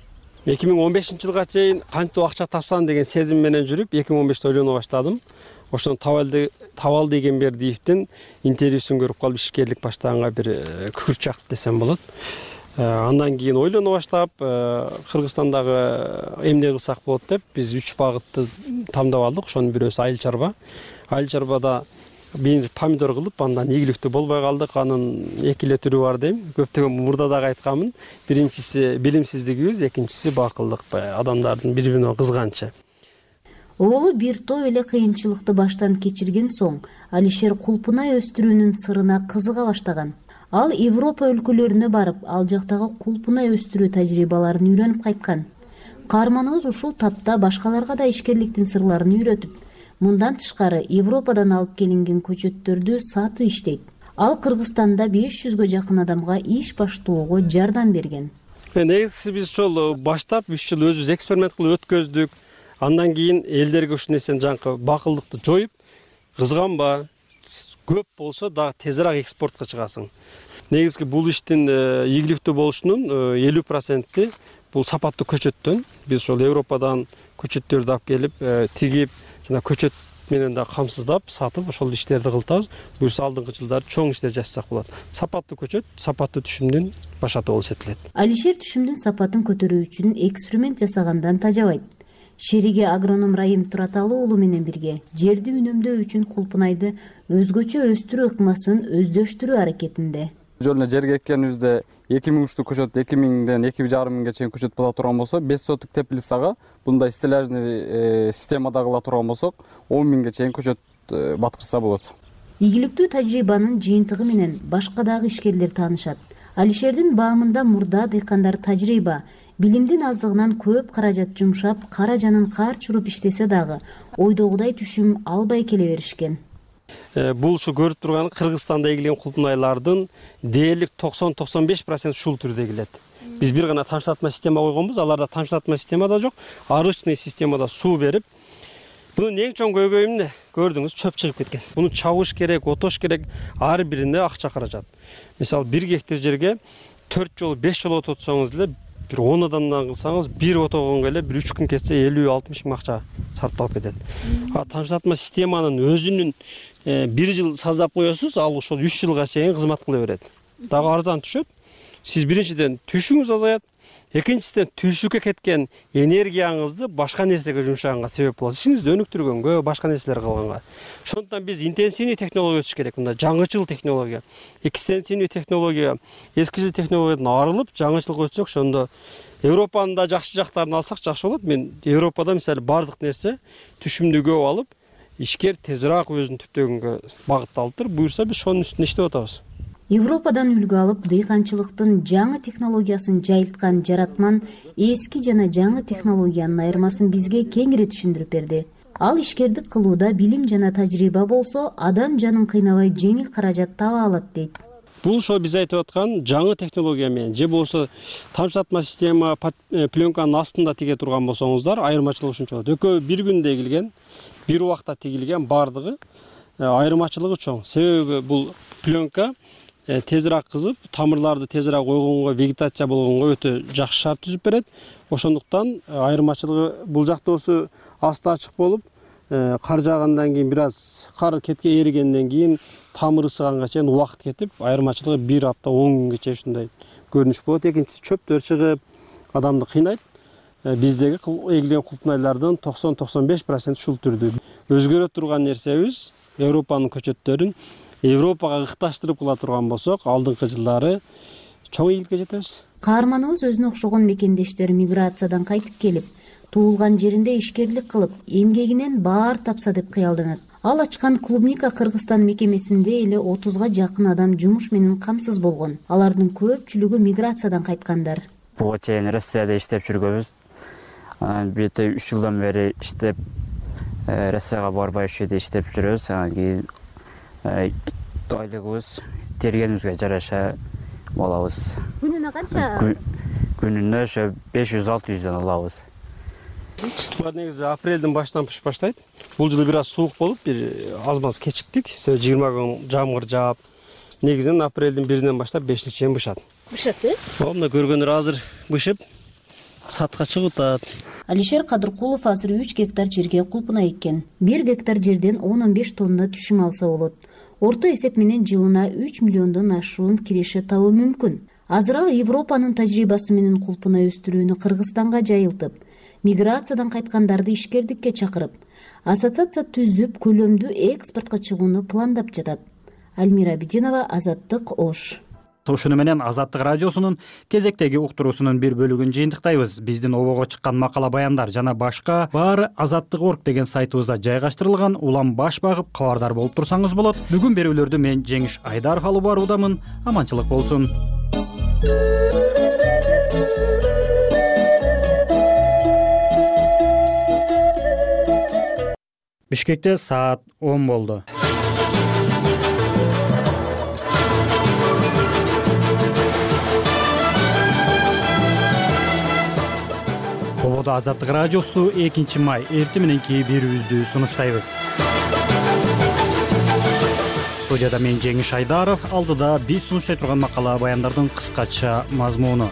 2015 жылга чейин кантип акча тапсам деген сезим менен жүрүп, 2015-те ойлоно баштадым. Ошондон Табал Эгембердиевдин интервьюсун көрүп калып ишкерлик баштаганга бир күкүрт чакты десем болот. Андан кийин ойлоно баштап, Кыргызстандагы эмне кылсак болот деп биз 3 багытты тандап алдык. Ошонун бирөөсү айыл чарба. Айыл чарбада биринчи помидор кылып, андан ийгиликтүү болбой калдык. Анын эки эле түрү бар дейм. Көптөгөн мурда дагы айтканмын. Биринчиси билимсиздигибиз, экинчиси бакылдык, адамдардын бири-бирине кызганычы. Оолу бир топ эле кыйынчылыкты баштан кечирген соң, Алишер кулпунай өстүрүүнүн сырына кызыга баштаган. Ал Европа өлкөлөрүнө барып, ал жактагы кулпунай өстүрүү тажрыйбаларын үйрөнүп кайткан. Каарманыбыз ушул тапта башкаларга да ишкерликтин сырларын үйрөтүп, мындан тышкары Европадан алып келинген көчөттөрдү сатып иштейт. Ал Кыргызстанда 500гө жакын адамга иш баштоого жардам берген. Негизгиси биз ошол баштап 3 жыл өзүбүз эксперимент кылып өткөздүк. Андан кийин элдерге ушул нерсени жанакы бакылдыкты жоюп, кызганба, көп болсо дагы тезирээк экспортко чыгасың. Негизги бул иштин ийгиликтүү болушунун 50% бул сапаттуу көчөттөн. Биз ошол Европадан көчөттөрдү алып келип, тигип, жана көчөт менен да камсыздап, сатып ошол иштерди кылтабыз. Буюрса алдыңкы жылдары чоң иштер жасасак болот. Сапаттуу көчөт, сапаттуу түшүмдүн башаты болуп эсептелет. Алишер түшүмдүн сапатын көтөрүү үчүн эксперимент жасагандан тажабайт. Шериги агроном Райым Тураталы уулу менен бирге жерди үнөмдөө үчүн кулпунайды өзгөчө өстүрүү ыкмасын өздөштүрүү аракетинде. Жөн эле жерге эккенибизде 2000 уштуу көчөт 2000ден 2500 чейин көчөт боло турган болсо, 5 соток теплицага мындай стеллажный системада кыла турган болсок, 10 000ге чейин көчөт баткырса болот. Ийгиликтүү тажрыйбанын жыйынтыгы менен башка дагы ишкерлер таанышат. Алишердин баамында мурда дыйкандар тажрыйба, билимдин аздыгынан көп каражат жумшап, кара жанын кар чуруп иштесе дагы ойдогудай түшүм албай келе беришкен. Бул ушу көрүп турган Кыргызстанда эгилген кулпунайлардын дээрлик 90-95% ушул түрдө эгилет. Биз бир гана тамчылатма система койгонбуз, аларда тамчылатма система да жок, арычный системада суу берип. Бунун эң чоң көйгөйү эмне? Көрдүңүз, чөп чыгып кеткен. Буну чабыш керек, отош керек, ар бирине акча каражат. Мисалы 1 гектар жерге 4 жолу 5 жолу ототсоңуз эле, бир 10 адамдан кылсаңыз, бир отогонго эле бир 3 күн кетсе 50-60 миң акча сарпталып кетет. Тамчылатма системанын өзүнүн 1 жыл саздап коесуз, ал ошол 3 жылга чейин кызмат кыла берет. Дагы арзан түшөт. Сиз биринчиден түшүңүз азаят, экинчисинен түшүккө кеткен энергияңызды башка нерсеге жумшаганга себеп болот. Ишиңизди өнүктүргөнгө, башка нерселер кылганга. Ошондуктан биз интенсивный технология өтүш керек. Мында жаңычыл технология, экстенсивный технология, эски жыл технологиядан арылып, жаңычылга өтсөк, ошондо Европанын да жакшы жактарын алсак жакшы болот. Мен Европада мисалы бардык нерсе түшүмдү көп алып, ишкер тезирээк өзүнүн түптөгөнгө багытталыптыр. Буюрса биз ошонун үстүнө иштеп атабыз. Европадан үлгү алып, дыйканчылыктын жаңы технологиясын жайылткан жаратман эски жана жаңы технологиянын айырмасын бизге кеңири түшүндүрүп берди. Ал ишкердик кылууда билим жана тажрыйба болсо, адам жанын кыйнабай жеңил каражат таба алат дейт. Бул ошо биз айтып аткан жаңы технология менен же болбосо тамчылатма система пленканын астында тиге турган болсоңуздар, айырмачылыгы ушунча болот. Экөө бир күндө эгилген, бир убакта тигилген бардыгы айырмачылыгы чоң. Себеби бул пленка тезирээк кызып, тамырларды тезирээк ойгонго, вегетация болгонго өтө жакшы шарт түзүп берет. Ошондуктан айырмачылыгы бул жактоосу асты ачык болуп, кар жаагандан кийин бир аз кар кетке эригенден кийин тамыр ысыганга чейин убакыт кетип, айырмачылыгы 1 апта 10 күнгө чейин ушундай көрүнүш болот. Экинчиси чөптөр чыгып, адамды кыйнайт. Биздеги эгилген кулпунайлардын 90-95% ушул түрдүү. Өзгөрө турган нерсебиз Европанын көчөттөрүн Европага ыкташтырып кыла турган болсок, алдыңкы жылдары чоң ийгиликке жетебиз. Каарманыбыз өзүнө окшогон мекендештер миграциядан кайтып келип, туулган жеринде ишкерлик кылып, эмгегинен баар тапса деп кыялданат. Ал ачкан клубника Кыргызстан мекемесинде эле 30га жакын адам жумуш менен камсыз болгон. Алардын көпчүлүгү миграциядан кайткандар. Буга чейин Россияда иштеп жүргөнбүз. Бирде 3 жылдан бери иштеп, Россияга барбай ушул жерде иштеп жүрөбүз. Анан кийин айлыгыбыз тергенибизге жараша болобуз. Күнүнө канча? Күнүнө ошо 500-600дөн алабыз. Булар негизи апрелдин башынан пышып баштайт. Бул жылы бир аз суук болуп, бир аз маз кечиктик. 20 күн жамгыр жаап, негизинен апрелдин 1-инен баштап 5-ке чейин бышат. Бышат, э? Мына көргөндөр азыр бышып, сатка чыгып атат. Алишер Кадыркулов азыр 3 гектар жерге кулпунай эккен. 1 гектар жерден 10-15 тонна түшүм алса болот. Орто эсеп менен жылына 3 миллиондон ашуун киреше табуу мүмкүн. Азыр ал Европанын тажрыйбасы менен кулпуна өстүрүүнү Кыргызстанга жайылтып, миграциядан кайткандарды ишкердикке чакырып, ассоциация түзүп, көлөмдүү экспортко чыгууну пландап жатат. Альмира Абидинова, Азаттык, Ош. Ушуну менен Азаттык радиосунун кезектеги уктуруусунун бир бөлүгүн жыйынтыктайбыз. Биздин обого чыккан макала баяндар жана башка баары Азаттык.org деген сайтыбызда жайгаштырылган. Улам баш багып кабардар болуп турсаңыз болот. Бүгүн берүүлөрдү мен Жеңиш Айдаров алып баруудамын. Аманчылык болсун. Бишкекте саат 10 болду. Ободо Азаттык радиосу 2 май эртең мененки берүүбүздү сунуштайбыз. Студияда мен Жеңиш Айдаров, алдыда биз сунуштай турган макала баяндардын кыскача мазмуну.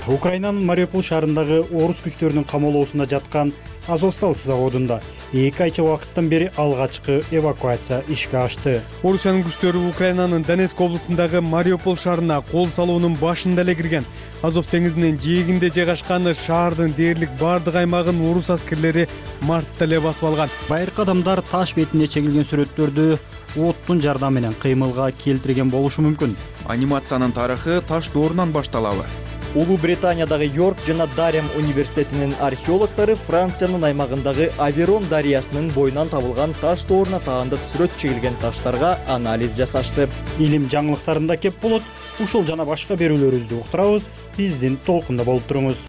Украинанын Мариуполь шаарындагы орус күчтөрүнүн камоолоосунда жаткан Азовсталь заводунда 2 айча убакыттан бери алгачкы эвакуация ишке ашты. Орусиянын күчтөрү Украинанын Донецк облусундагы Мариуполь шаарына кол салуунун башында эле кирген. Азов деңизинин жээгинде жайгашкан шаардын дээрлик бардык аймагын орус аскерлери мартта эле басып алган. Байыркы адамдар таш бетине чегилген сүрөттөрдү оттун жардамы менен кыймылга келтирген болушу мүмкүн. Анимациянын тарыхы таш доорунан башталабы? Улуу Британиядагы Йорк жана Дарем университетинин археологдору Франциянын аймагындагы Аверон дарыясынын боюнан табылган таш дооруна таандык сүрөт чегилген таштарга анализ жасашты. Илим жаңылыктарында кеп болот. Ушул жана башка берүүлөрүбүздү уктурабыз. Биздин толкунда болуп туруңуз.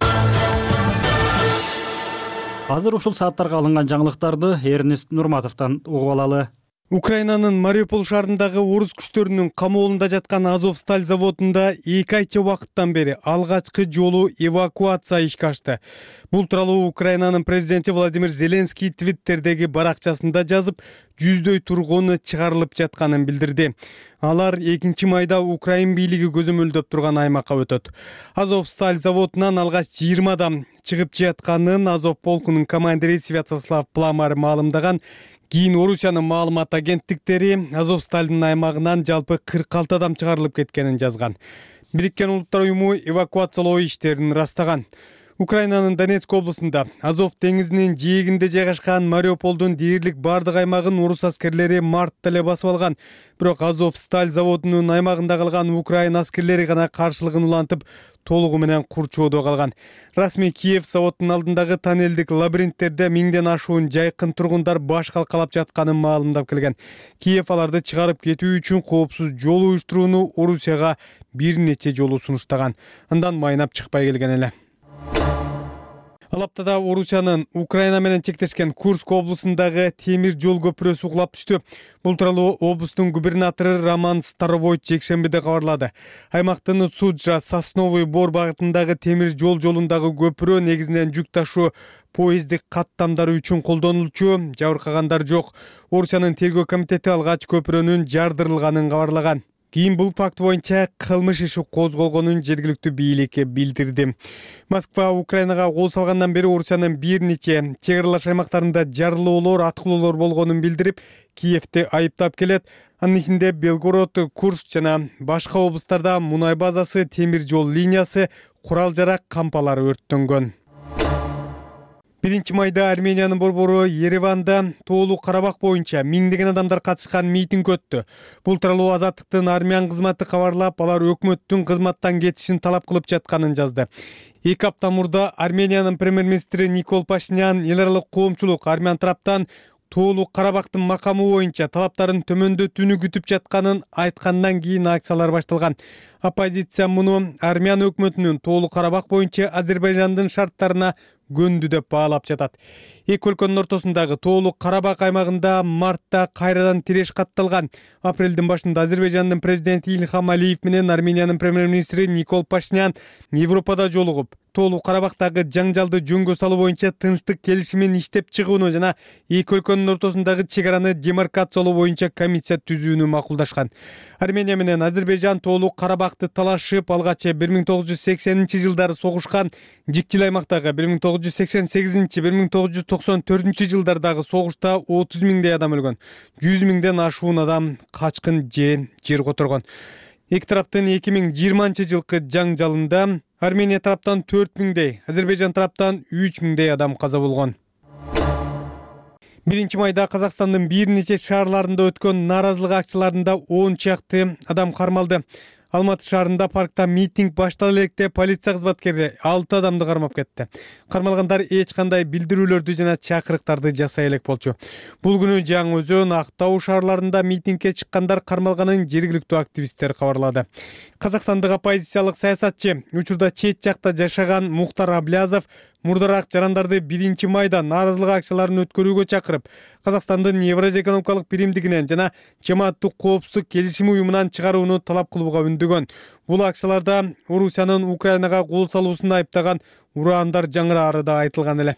Азыр ушул сааттарга алынган жаңылыктарды Эрнест Нурматовдон угуп алалы. Украинанын Мариуполь шаарындагы орус күчтөрүнүн камоолунда жаткан Азовсталь заводунда 2 айча убакыттан бери алгачкы жолу эвакуация ишке ашты. Бул тууралуу Украинанын президенти Владимир Зеленский Твиттердеги баракчасында жазып, жүздөй тургуну чыгарылып жатканын билдирди. Алар 2 майда Украин бийлиги көзөмөлдөп турган аймакка өтөт. Азовсталь заводунан алгач 20 адам чыгып жатканын Азов полкунун командири Святослав Пламар маалымдаган. Кийин Орусиянын маалымат агенттиктери Азовстальдын аймагынан жалпы 46 адам чыгарылып кеткенин жазган. Бириккен Улуттар уюму эвакуациялоо иштерин ырастаган. Украинанын Донецк облусунда Азов деңизинин жээгинде жайгашкан Мариуполдун дээрлик бардык аймагын орус аскерлери мартта эле басып алган. Бирок Азовсталь заводунун аймагында калган Украин аскерлери гана каршылыгын улантып, толугу менен курчоодо калган. Расмий Киев заводдун алдындагы тоннелдик лабиринттерде миңден ашуун жайкын тургундар баш калкалап жатканын маалымдап келген. Киев аларды чыгарып кетүү үчүн коопсуз жол уюштурууну Орусияга бир нече жолу сунуштаган. Андан майнап чыкпай келген эле. Ал аптада Орусиянын Украина менен чектешкен Курск облусундагы темир жол көпүрөсү кулап түштү. Бул тууралуу облустун губернатору Роман Старовойт жекшембиде кабарлады. Аймактын Суджа Сосновый Бор багытындагы темир жол жолундагы көпүрө негизинен жүк ташуу поездик каттамдары үчүн колдонулчу, жабыркагандар жок. Орусиянын тергөө комитети алгач көпүрөнүн жардырылганын кабарлаган. Кийин бул факт боюнча кылмыш иши козголгонун жергиликтүү бийликке билдирди. Москва Украинага кол салгандан бери Орусиянын бир нече чек аралаш аймактарында жарылуулар, аткылоолор болгонун билдирип, Киевти айыптап келет. Анын ичинде Белгород, Курск жана башка облустарда мунай базасы, темир жол линиясы, курал-жарак кампалары өрттөнгөн. 1 майда Армениянын борбору Ереванда Тоолуу Карабак боюнча миңдеген адамдар катышкан митинг өттү. Бул тууралуу Азаттыктын армян кызматы кабарлап, алар өкмөттүн кызматтан кетишин талап кылып жатканын жазды. 2 апта мурда Армениянын премьер-министри Никол Пашинян эл аралык коомчулук армян тараптан Тоолуу Карабактын макамы боюнча талаптарын төмөндөтүүнү күтүп жатканын айткандан кийин акциялар башталган. Оппозиция муну армян өкмөтүнүн Тоолуу Карабак боюнча Азербайжандын шарттарына көндү деп баалап жатат. Эки өлкөнүн ортосундагы Тоолуу Карабак аймагында мартта кайрадан тиреш катталган. Апрелдин башында Азербайжандын президенти Ильхам Алиев менен Армениянын премьер-министри Никол Пашинян Европада жолугуп, Тоолуу Карабактагы жаңжалды жөнгө салуу боюнча тынчтык келишимин иштеп чыгууну жана эки өлкөнүн ортосундагы чек араны демаркациялоо боюнча комиссия түзүүнү макулдашкан. Армения менен Азербайжан Тоолуу Карабакты талашып, алгач 1980-жылдары согушкан, жикчил аймактагы 1988-1994 жылдардагы согушта 30 миңдей адам өлгөн, 100 миңден ашуун адам качкын же жер которгон. Эки тараптын 2020-жылкы жаңжалында Армения тараптан 4000дей, Азербайжан тараптан 3000дей адам каза болгон. 1 майда Казакстандын бир нече шаарларында өткөн нааразылык акцияларында 10 чакты адам кармалды. Алматы шаарында паркта митинг баштала электе полиция кызматкерлери 6 адамды кармап кетти. Кармалгандар эч кандай билдирүүлөрдү жана чакырыктарды жасай элек болчу. Бул күнү Жаңы Өзөн, Актау шаарларында митингге чыккандар кармалганын жергиликтүү активисттер кабарлады. Казакстандык оппозициялык саясатчы, учурда чет жакта жашаган Мухтар Аблязов мурдараак жарандарды 1 майда нааразылык акцияларын өткөрүүгө чакырып, Казакстандын Евразия экономикалык биримдигинен жана Жамааттык коопсуздук келишими уюмунан чыгарууну талап кылууга үндөгөн. Бул акцияларда Орусиянын Украинага кол салуусун айыптаган ураандар жаңыраары да айтылган эле.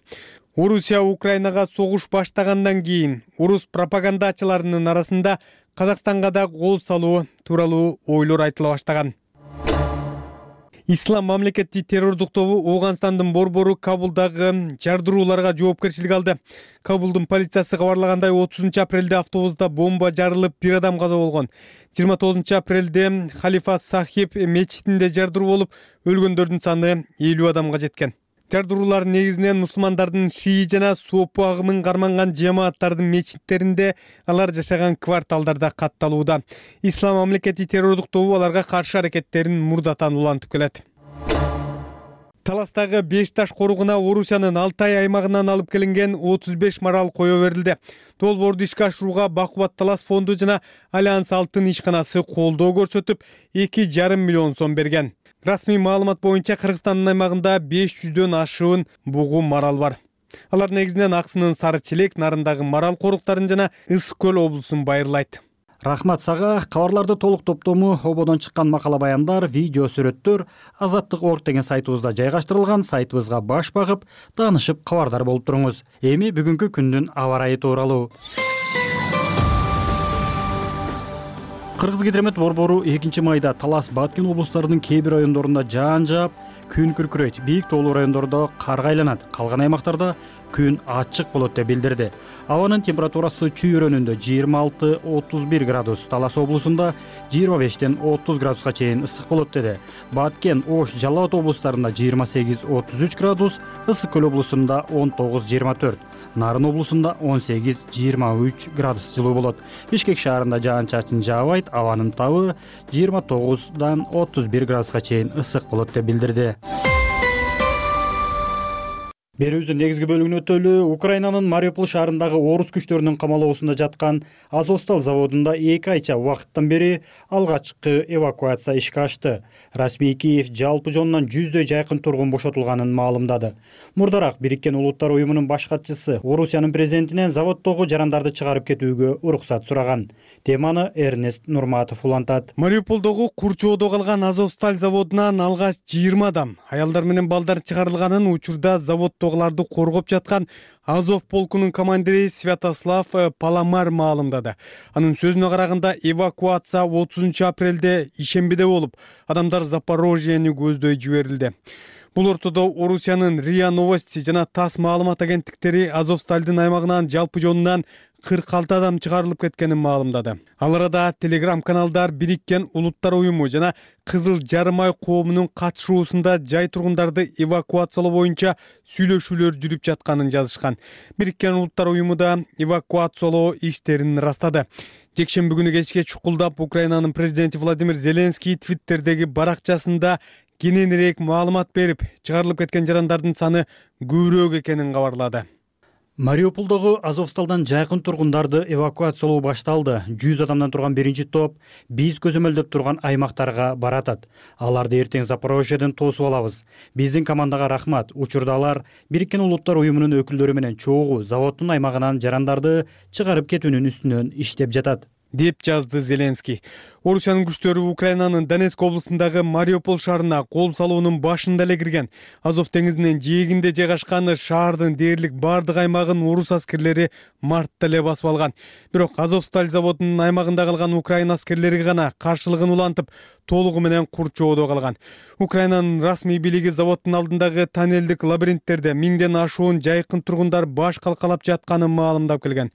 Орусия Украинага согуш баштагандан кийин орус пропагандачыларынын арасында Казакстанга да кол салуу тууралуу ойлор айтыла баштаган. Ислам мамлекети террордук тобу Ооганстандын борбору Кабулдагы жардырууларга жоопкерчилик алды. Кабулдун полициясы кабарлагандай 30 апрелде автобуста бомба жарылып, бир адам каза болгон. 29 апрелде Халифа Сахиб мечитинде жардыруу болуп, өлгөндөрдүн саны 50 адамга жеткен. Жардыруулар негизинен мусулмандардын шии жана сопу агымын карманган жамааттардын мечиттеринде, алар жашаган кварталдарда катталууда. Ислам мамлекети террордук тобу аларга каршы аракеттерин мурдатан улантып келет. Таластагы Бешташ коругуна Орусиянын Алтай аймагынан алып келинген 35 марал кое берилди. Долбоорду ишке ашырууга Бакубат Талас фонду жана Альянс Алтын ишканасы колдоо көрсөтүп, 2,5 миллион сом берген. Расмий маалымат боюнча Кыргызстандын аймагында 500дөн ашуун бугу марал бар. Алар негизинен Аксынын Сары Челек нарындагы марал коруктарын жана Ысык көл облусун байырлайт. Рахмат сага. Кабарларды толук топтому ободон чыккан макала баяндар, видео сүрөттөр Азаттык.org деген сайтыбызда жайгаштырылган. Сайтыбызга баш багып, таанышып кабардар болуп туруңуз. Эми бүгүнкү күндүн аба ырайы тууралуу. Кыргызгидромет борбору 2 майда Талас, Баткен облустарынын кээ бир райондорунда жаан жаап, күн күркүрөйт. Бийик тоолуу райондордо карга айланат. Калган аймактарда күн ачык болот деп билдирди. Абанын температурасы чүйрөнүндө 26-31 градус, Талас облусунда 25-тен 30 градуска чейин ысык болот деди. Баткен, Ош, Жалал Абад облустарында 28-33 градус, Ысык көл облусунда 19-24, Нарын облусунда 18-23 градус жылуу болот. Бишкек шаарында жаан-чачын жаабайт, абанын табы 29-дан 31 градуска чейин ысык болот деп билдирди. Берүүбүздүн негизги бөлүгүнө өтөлү. Украинанын Мариуполь шаарындагы орус күчтөрүнүн камалоосунда жаткан Азовсталь заводунда 2 айча убакыттан бери алгачкы эвакуация ишке ашты. Расмий Киев жалпы жонунан 100дөй жайкын тургун бошотулганын маалымдады. Мурдараак Бириккен Улуттар уюмунун баш катчысы Орусиянын президентинен заводдогу жарандарды чыгарып кетүүгө уруксат сураган. Теманы Эрнест Нурматов улантат. Мариуполдогу курчоодо калган Азовсталь заводунан алгач 20 адам, аялдар менен балдар чыгарылганын учурда заводдогуларды коргоп жаткан Азов полкунун командири Святослав Паламар маалымдады. Анын сөзүнө караганда эвакуация 30 апрелде ишембиде болуп, адамдар Запорожьени көздөй жиберилди. Бул ортодо Орусиянын РИА Новости жана ТАСС маалымат агенттиктери Азовстальдын аймагынан жалпы жонунан 46 адам чыгарылып кеткенин маалымдады. Ал арада телеграм-каналдар Бириккен Улуттар уюму жана Кызыл Жарым ай коомунун катышуусунда жай тургундарды эвакуациялоо боюнча сүйлөшүүлөр жүрүп жатканын жазышкан. Бириккен Улуттар уюму да эвакуациялоо иштерин ырастады. Жекшемби күнү кечке чукулдап Украинанын президенти Владимир Зеленский Твиттердеги баракчасында кененирээк маалымат берип, чыгарылып кеткен жарандардын саны көбүрөөк экенин кабарлады. Мариуполдогу Азовсталдан жайкын тургундарды эвакуациялоо башталды. 100 адамдан турган биринчи топ биз көзөмөлдөп турган аймактарга баратат. Аларды эртең Запорожьеден тосуп алабыз. Биздин командага рахмат. Учурда алар Бириккен Улуттар уюмунун өкүлдөрү менен чогуу заводдун аймагынан жарандарды чыгарып кетүүнүн үстүнөн иштеп жатат, деп жазды Зеленский. Орусиянын күчтөрү Украинанын Донецк облусундагы Мариуполь шаарына кол салуунун башында эле кирген. Азов деңизинин жээгинде жайгашкан шаардын дээрлик бардык аймагын орус аскерлери мартта эле басып алган. Бирок Азовсталь заводунун аймагында калган Украина аскерлери гана каршылыгын улантып, толугу менен курчоодо калган. Украинанын расмий бийлиги заводдун алдындагы тоннелдик лабиринттерде 1000ден ашуун жайкын тургундар баш калкалап жатканын маалымдап келген.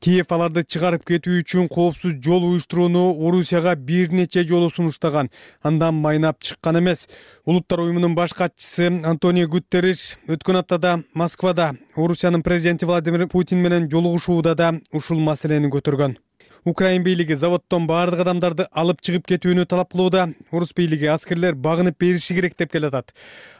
Киев аларды чыгарып кетүү үчүн коопсуз жол уюштурууну Орусияга бир нече жолу сунуштаган, андан майнап чыккан эмес. Улуттар уюмунун баш катчысы Антонио Гутерриш өткөн аптада Москвада Орусиянын президенти Владимир Путин менен жолугушууда да ушул маселени көтөргөн. Украин бийлиги заводдон баардык адамдарды алып чыгып кетүүнү талап кылууда. Орус бийлиги аскерлер багынып бериши керек деп келатат.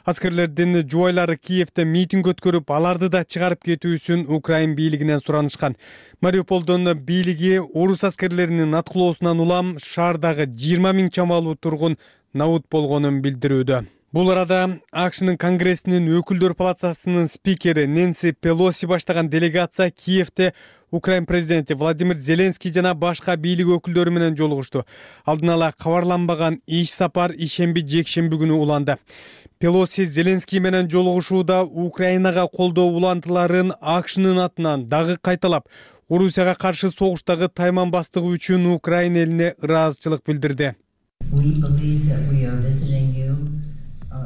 Аскерлердин жубайлары Киевде митинг өткөрүп, аларды да чыгарып кетүүсүн Украин бийлигинен суранышкан. Мариуполдон бийлиги орус аскерлеринин аткылоосунан улам шаардагы 20 000 чамалуу тургун набут болгонун билдирүүдө. Бул арада АКШнын Конгрессинин өкүлдөр палатасынын спикери Нэнси Пелоси баштаган делегация Киевде Украин президенти Владимир Зеленский жана башка бийлик өкүлдөрү менен жолугушту. Алдын ала кабарланбаган иш сапар ишемби-жекшемби күнү уланды. Пелоси Зеленский менен жолугушууда Украинага колдоо улантыларын АКШнын атынан дагы кайталап, Орусияга каршы согуштагы тайманбастыгы үчүн Украин элине ыраазычылык билдирди.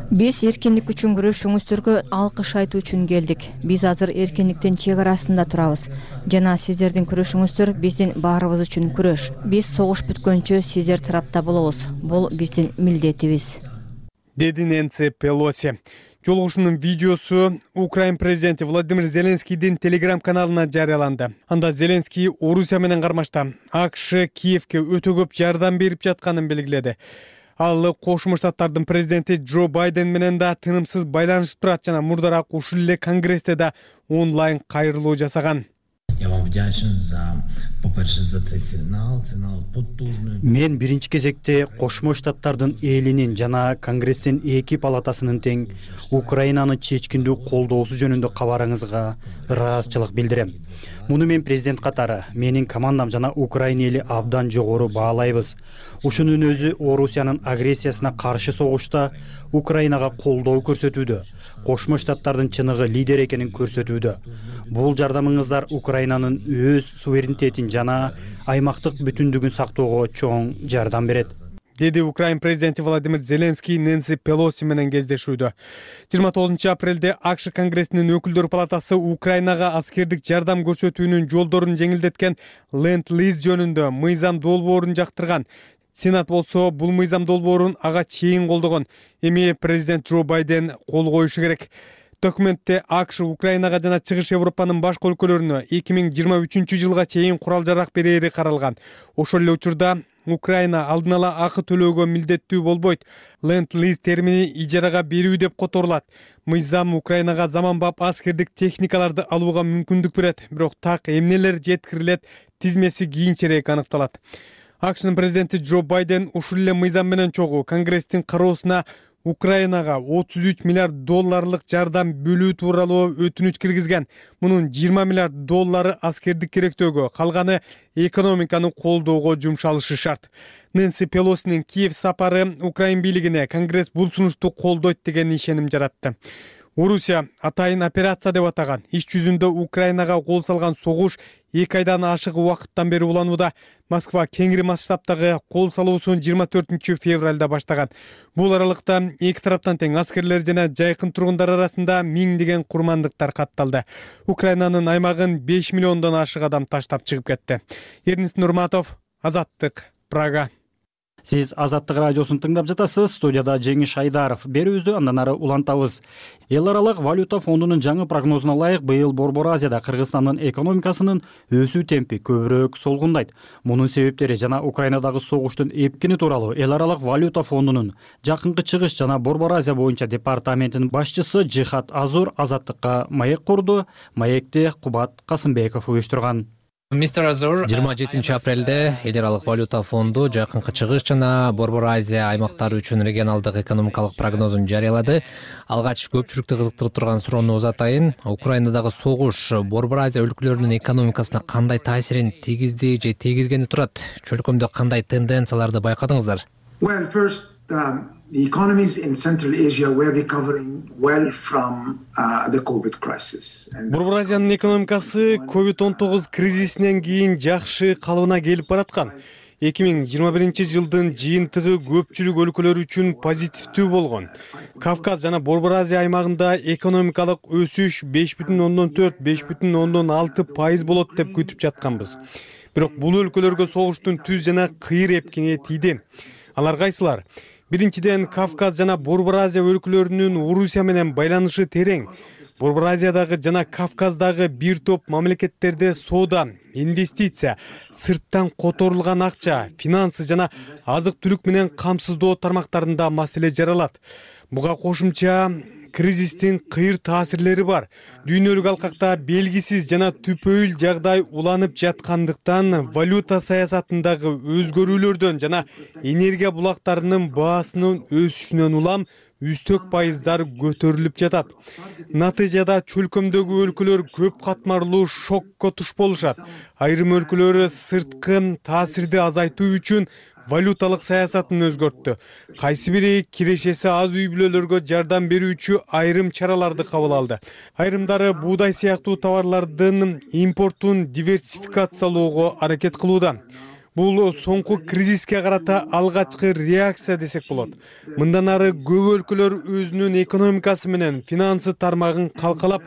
Биз эркиндик үчүн күрөшүүңүздөргө алкыш айтуу үчүн келдик. Биз азыр эркиндиктин чек арасында турабыз. Жана сиздердин күрөшүңүздөр биздин баарыбыз үчүн күрөш. Биз согуш бүткөнчө сиздер тарапта болобуз. Бул биздин милдетибиз. Деди Нэнси Пелоси. Жолугушуунун видеосу Украин президенти Владимир Зеленскийдин Telegram каналына жарыяланды. Анда Зеленский Орусия менен кармашта АКШ Киевге өтө көп жардам берип жатканын белгиледи. Ал Кошмо Штаттардын президенти Джо Байден менен да тынымсыз байланышып турат жана мурдараак ушул эле Конгрессте да онлайн кайрылуу жасаган. Мен биринчи кезекте Кошмо Штаттардын элинин жана Конгресстин эки палатасынын тең Украинаны чечкиндүү колдоосу жөнүндө кабарыңызга ыраазычылык билдирем. Муну мен президент катары, менин командам жана Украина эли абдан жогору баалайбыз. Ушунун өзү Орусиянын агрессиясына каршы согушта Украинага колдоо көрсөтүүдө, Кошмо Штаттардын чыныгы лидер экенин көрсөтүүдө. Бул жардамыңыздар Украинанын өз суверенитетин жана аймактык бүтүндүгүн сактоого чоң жардам берет. Деди Украин президенти Владимир Зеленский Нэнси Пелоси менен кездешүүдө. 29 апрелде АКШ Конгрессинин өкүлдөр палатасы Украинага аскердик жардам көрсөтүүнүн жолдорун жеңилдеткен Ленд-лиз жөнүндө мыйзам долбоорун жактырган. Сенат болсо бул мыйзам долбоорун ага чейин колдогон. Эми президент Джо Байден кол коюшу керек. Документте АКШ Украинага жана Чыгыш Европанын башка өлкөлөрүнө 2023 жылга чейин курал-жарак берери каралган. Ошол эле учурда Украина алдын ала акы төлөөгө милдеттүү болбойт. Ленд-лиз термини ижарага берүү деп которулат. Мыйзам Украинага заманбап аскердик техникаларды алууга мүмкүндүк берет, бирок так эмнелер жеткирилет, тизмеси кийинчерээк аныкталат. АКШнын президенти Джо Байден ушул эле мыйзам менен чогуу Конгресстин кароосуна Украинага 33 миллиард долларлык жардам бөлүү тууралуу өтүнүч киргизген. Мунун 20 миллиард доллары аскердик керектөөгө, калганы экономиканы колдоого жумшалышы шарт. Нэнси Пелосинин Киев сапары Украин бийлигине Конгресс бул сунушту колдойт деген ишеним жаратты. Орусия атайын операция деп атаган иш жүзүндө Украинага кол салган согуш 2 айдан ашык убакыттан бери уланууда. Москва кеңири масштабтагы кол салуусун 24 февралда баштаган. Бул аралыкта эки тараптан тең аскерлер жана жайкын тургундар арасында миңдеген курмандыктар катталды. Украинанын аймагын 5 миллиондон ашык адам таштап чыгып кетти. Эрнис Нурматов, Азаттык, Прага. Сиз Азаттык радиосун тыңдап жатасыз. Студияда Жеңиш Айдаров. Берүүбүздү андан ары улантабыз. Эл аралык валюта фондунун жаңы прогнозуна ылайык быйыл Борбор Азияда Кыргызстандын экономикасынын өсүү темпи көбүрөөк солгундайт. Мунун себептери жана Украинадагы согуштун эпкини тууралуу Эл аралык валюта фондунун жакынкы чыгыш жана Борбор Азия боюнча департаментинин башчысы Жихат Азур Азаттыкка маек курду. Маекти Кубат Касымбеков уюштурган. 27 апрелде Эл аралык валюта фонду жакынкы чыгыш жана Борбор Азия аймактары үчүн регионалдык экономикалык прогнозун жарыялады. Алгач көпчүлүктү кызыктырып турган суроону узатайын. Украинадагы согуш Борбор Азия өлкөлөрүнүн экономикасына кандай таасирин тийгизди же тийгизгени турат? Чөлкөмдө кандай тенденцияларды байкадыңыздар? The economies in Central Asia were recovering well from the COVID crisis. Борбор Азиянын экономикасы COVID-19 кризисинен кийин жакшы калыбына келип бараткан. 2021 жылдын жыйынтыгы көпчүлүк өлкөлөр үчүн позитивдүү болгон. Кавказ жана Борбор Азия аймагында экономикалык өсүш 5,4–5,6% болот деп күтүп жатканбыз. Бирок бул өлкөлөргө согуштун түз жана кыйыр эпкини тийди. Алар кайсылар? Биринчиден, Кавказ жана Борбор Азия өлкөлөрүнүн Орусия менен байланышы терең. Борбор Азиядагы жана Кавказдагы бир топ мамлекеттерде соода, инвестиция, сырттан которулган акча, финансы жана азык-түлүк менен камсыздоо тармактарында маселе жаралат. Буга кошумча кризистин кыйыр таасирлери бар. Дүйнөлүк алкакта белгисиз жана түпөйүл жагдай уланып жаткандыктан валюта саясатындагы өзгөрүүлөрдөн жана энергия булактарынын баасынын өсүшүнөн улам үстөк пайыздар көтөрүлүп жатат. Натыйжада чөлкөмдөгү өлкөлөр көп катмарлуу шокко туш болушат. Айрым өлкөлөр сырткы таасирди азайтуу үчүн валюталык саясатын өзгөрттү. Кайсы бири кирешеси аз үй бүлөлөргө жардам берүүчү айрым чараларды кабыл алды. Айрымдары буудай сыяктуу товарлардын импортун диверсификациялоого аракет кылууда. Бул соңку кризиске карата алгачкы реакция десек болот. Мындан ары көп өлкөлөр өзүнүн экономикасы менен финансы тармагын калкалап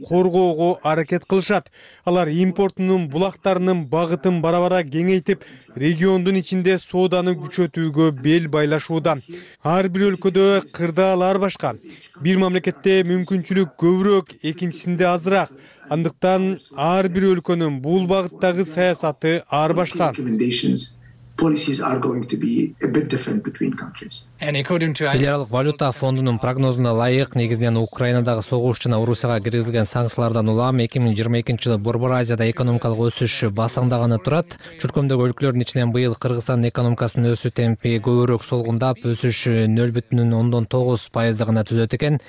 коргоого аракет кылышат. Алар импортунун булактарынын багытын бара-бара кеңейтип, региондун ичинде сооданы күчөтүүгө бел байлашууда. Ар бир өлкөдө кырдаалар башка. Бир мамлекетте мүмкүнчүлүк көбүрөөк, экинчисинде азыраак. Андыктан ар бир өлкөнүн бул багыттагы саясаты ар башка. Policies are going to be a bit different between countries. Эл аралык валюта фондунун прогнозуна ылайык, негизинен Украинадагы согуш жана Орусияга киргизилген санкциялардан улам 2022 жылы Борбор Азияда экономикалык өсүш басаңдаганы турат. Чөлкөмдөгү өлкөлөрдүн ичинен быйыл Кыргызстандын экономикасынын өсүү темпи көбүрөөк солгундап, өсүш 0,9% гана түзөт экен.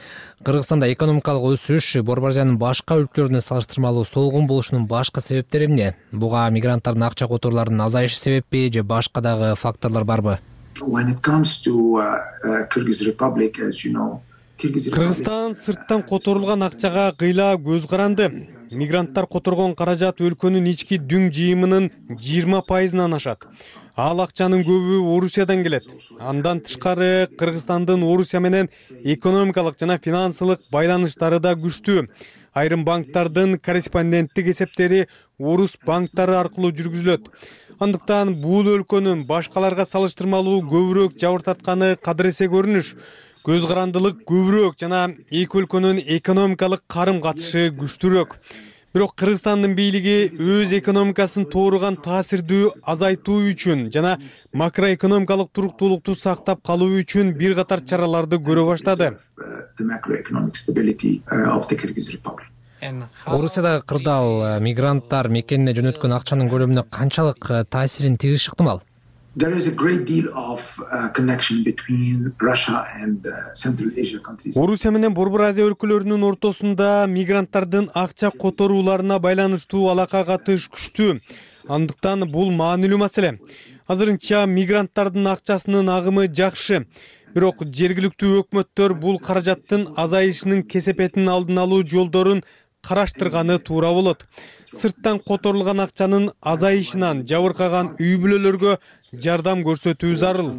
Кыргызстанда экономикалык өсүш Борбор Азиянын башка өлкөлөрүнө салыштырмалуу солгун болушунун башкы себептери эмне? Буга мигранттардын акча которууларынын азайышы себеппи же башка дагы факторлор барбы? When it comes to Kyrgyz Republic, as you know, Кыргызстан сырттан которулган акчага кыйла көз каранды. Мигранттар которгон каражат өлкөнүн ички дүң жыйымынын 20%-ынан ашат. Ал акчанын көбү Орусиядан келет. Андан тышкары Кыргызстандын Орусия менен экономикалык жана финансылык байланыштары да күчтүү. Айрым банктардын корреспонденттик эсептери орус банктары аркылуу жүргүзүлөт. Андыктан бул өлкөнүн башкаларга салыштырмалуу көбүрөөк жабыртатканы кадыресе көрүнүш. Көз карандылык көбүрөөк жана эки өлкөнүн экономикалык карым катышы күчтүүрөөк. Бирок Кыргызстандын бийлиги өз экономикасын тооруган таасирдүү азайтуу үчүн жана макроэкономикалык туруктуулукту сактап калуу үчүн бир катар чараларды көрө баштады. Орусиядагы кырдаал мигранттар мекенине жөнөткөн акчанын көлөмүнө канчалык таасирин тийгизиши ыктымал? There is a great deal of connection between Russia and Central Asia countries. Орусия менен Борбор Азия өлкөлөрүнүн ортосунда мигранттардын акча которууларына байланыштуу алака катыш күчтүү. Андыктан бул маанилүү маселе. Азырынча мигранттардын акчасынын агымы жакшы. Бирок жергиликтүү өкмөттөр бул каражаттын азайышынын кесепетин алдын алуу жолдорун караштырганы туура болот. Сырттан которулган акчанын азайышынан жабыркаган үй бүлөлөргө жардам көрсөтүү зарыл.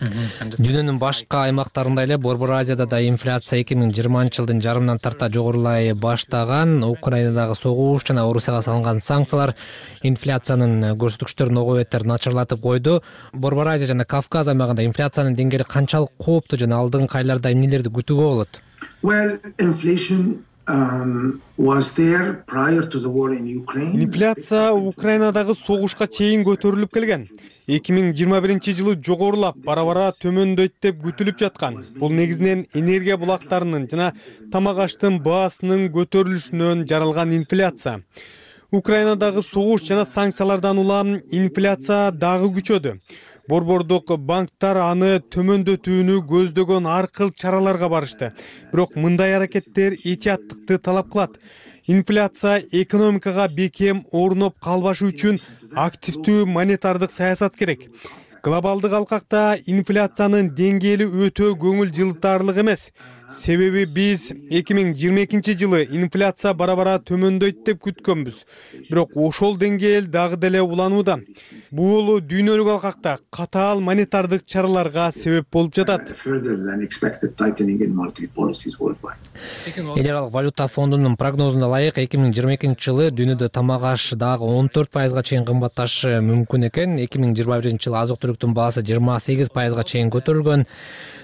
Дүйнөнүн башка аймактарында эле Борбор Азияда да инфляция 2020 жылдын жарымынан тарта жогорулай баштаган. Украинадагы согуш жана Орусияга салынган санкциялар инфляциянын көрсөткүчтөрүн ого бетер начарлатып койду. Борбор Азия жана Кавказ аймагында инфляциянын деңгээли канчалык кооптуу жана алдыңкы айларда эмнелерди күтүүгө болот? Well, inflation was there prior to the war in Ukraine. Инфляция Украинадагы согушка чейин көтөрүлүп келген. 2021 жылы жогорулап, бара-бара төмөндөйт деп күтүлүп жаткан. Бул негизинен энергия булактарынын жана тамак аштын баасынын көтөрүлүшүнөн жаралган инфляция. Украинадагы согуш жана санкциялардан улам инфляция дагы күчөдү. Борбордук банктар аны төмөндөтүүнү көздөгөн ар кыл чараларга барышты. Бирок мындай аракеттер этияттыкты талап кылат. Инфляция экономикага бекем орноп калбашы үчүн активдүү монетардык саясат керек. Глобалдык алкакта инфляциянын деңгээли өтө көңүл жылытарлык эмес. Себеби биз 2022-жылы инфляция бара-бара төмөндөйт деп күткөнбүз. Бирок ошол деңгээл дагы деле уланууда. Бул дүйнөлүк алкакта катаал монетардык чараларга себеп болуп жатат. Эл аралык валюта фондунун прогнозуна ылайык 2022-жылы дүйнөдө тамак аш дагы 14% чейин кымбатташы мүмкүн экен. 2021-жылы азык-түлүктүн баасы 28% чейин көтөрүлгөн.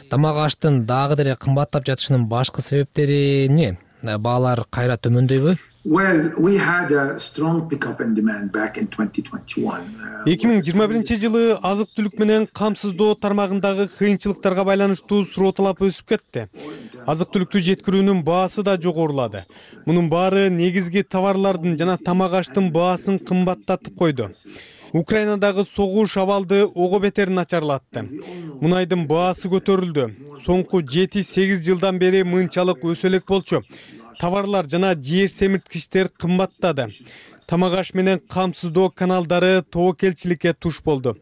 Тамак аштын дагы деле кымбаттап жатышынын башкы себептери эмне? Баалар кайра төмөндөйбү? Well, we had a strong pickup in demand back in 2021. 2021-жылы азык-түлүк менен камсыздоо тармагындагы кыйынчылыктарга байланыштуу суроо талап өсүп кетти. Азык-түлүктү жеткирүүнүн баасы да жогорулады. Мунун баары негизги товарлардын жана тамак аштын баасын кымбаттатып койду. Украинадагы согуш абалды ого бетер начарлатты. Мунайдын баасы көтөрүлдү. Соңку 7-8 жылдан бери мынчалык өсө элек болчу. Товарлар жана жер семирткичтер кымбаттады. Тамак аш менен камсыздоо каналдары тобокелчиликке туш болду.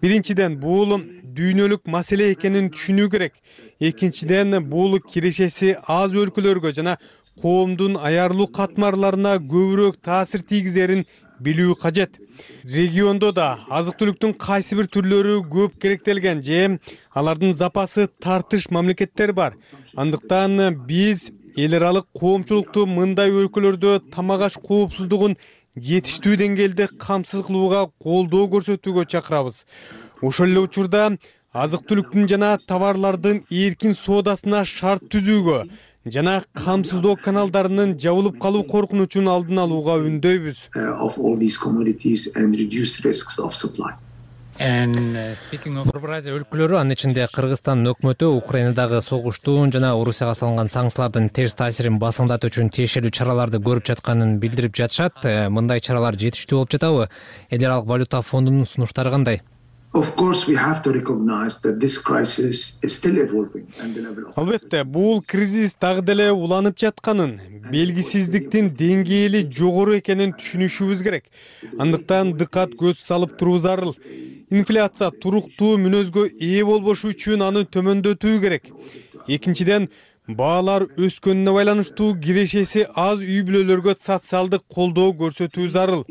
Биринчиден, бул дүйнөлүк маселе экенин түшүнүү керек. Экинчиден, бул кирешеси аз өлкөлөргө жана коомдун аярлуу катмарларына көбүрөөк таасир тийгизерин билүү кажет. Региондо да азык-түлүктүн кайсы бир түрлөрү көп керектелген же алардын запасы тартыш мамлекеттер бар. Андыктан биз эл аралык коомчулукту мындай өлкөлөрдө тамак аш коопсуздугун жетиштүү деңгээлде камсыз кылууга колдоо көрсөтүүгө чакырабыз. Ошол эле учурда азык-түлүктүн жана товарлардын эркин соодасына шарт түзүүгө жана камсыздоо каналдарынын жабылып калуу коркунучун алдын алууга үндөйбүз. Борбор Азия өлкөлөрү, анын ичинде Кыргызстандын өкмөтү Украинадагы согуштун жана Орусияга салынган санкциялардын терс таасирин басыңдатуу үчүн тиешелүү чараларды көрүп жатканын билдирип жатышат. Мындай чаралар жетиштүү болуп жатабы? Эл аралык валюта фондунун сунуштары кандай? Албетте, бул кризис дагы деле уланып жатканын, белгисиздиктин деңгээли жогору экенин түшүнүшүбүз керек. Андыктан дыкат көз салып туруу зарыл. Инфляция туруктуу мүнөзгө ээ болбошу үчүн аны төмөндөтүү керек. Экинчиден, баалар өскөнүнө байланыштуу кирешеси аз үй бүлөлөргө социалдык колдоо көрсөтүү зарыл.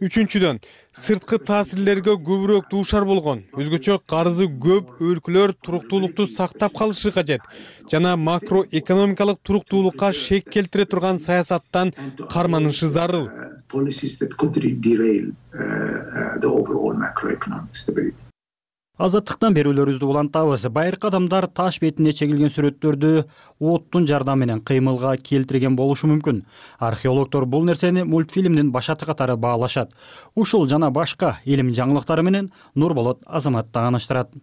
Үчүнчүдөн, сырткы таасирлерге көбүрөөк дуушар болгон, өзгөчө карызы көп өлкөлөр туруктуулукту сактап калышы кажет жана макроэкономикалык туруктуулукка шек келтире турган саясаттан карманышы зарыл. Азаттыктан берүүлөрүбүздү улантабыз. Байыркы адамдар таш бетине чегилген сүрөттөрдү оттун жардамы менен кыймылга келтирген болушу мүмкүн. Археологдор бул нерсени мультфильмдин башаты катары баалашат. Ушул жана башка илим жаңылыктары менен Нурболот Азамат тааныштырат.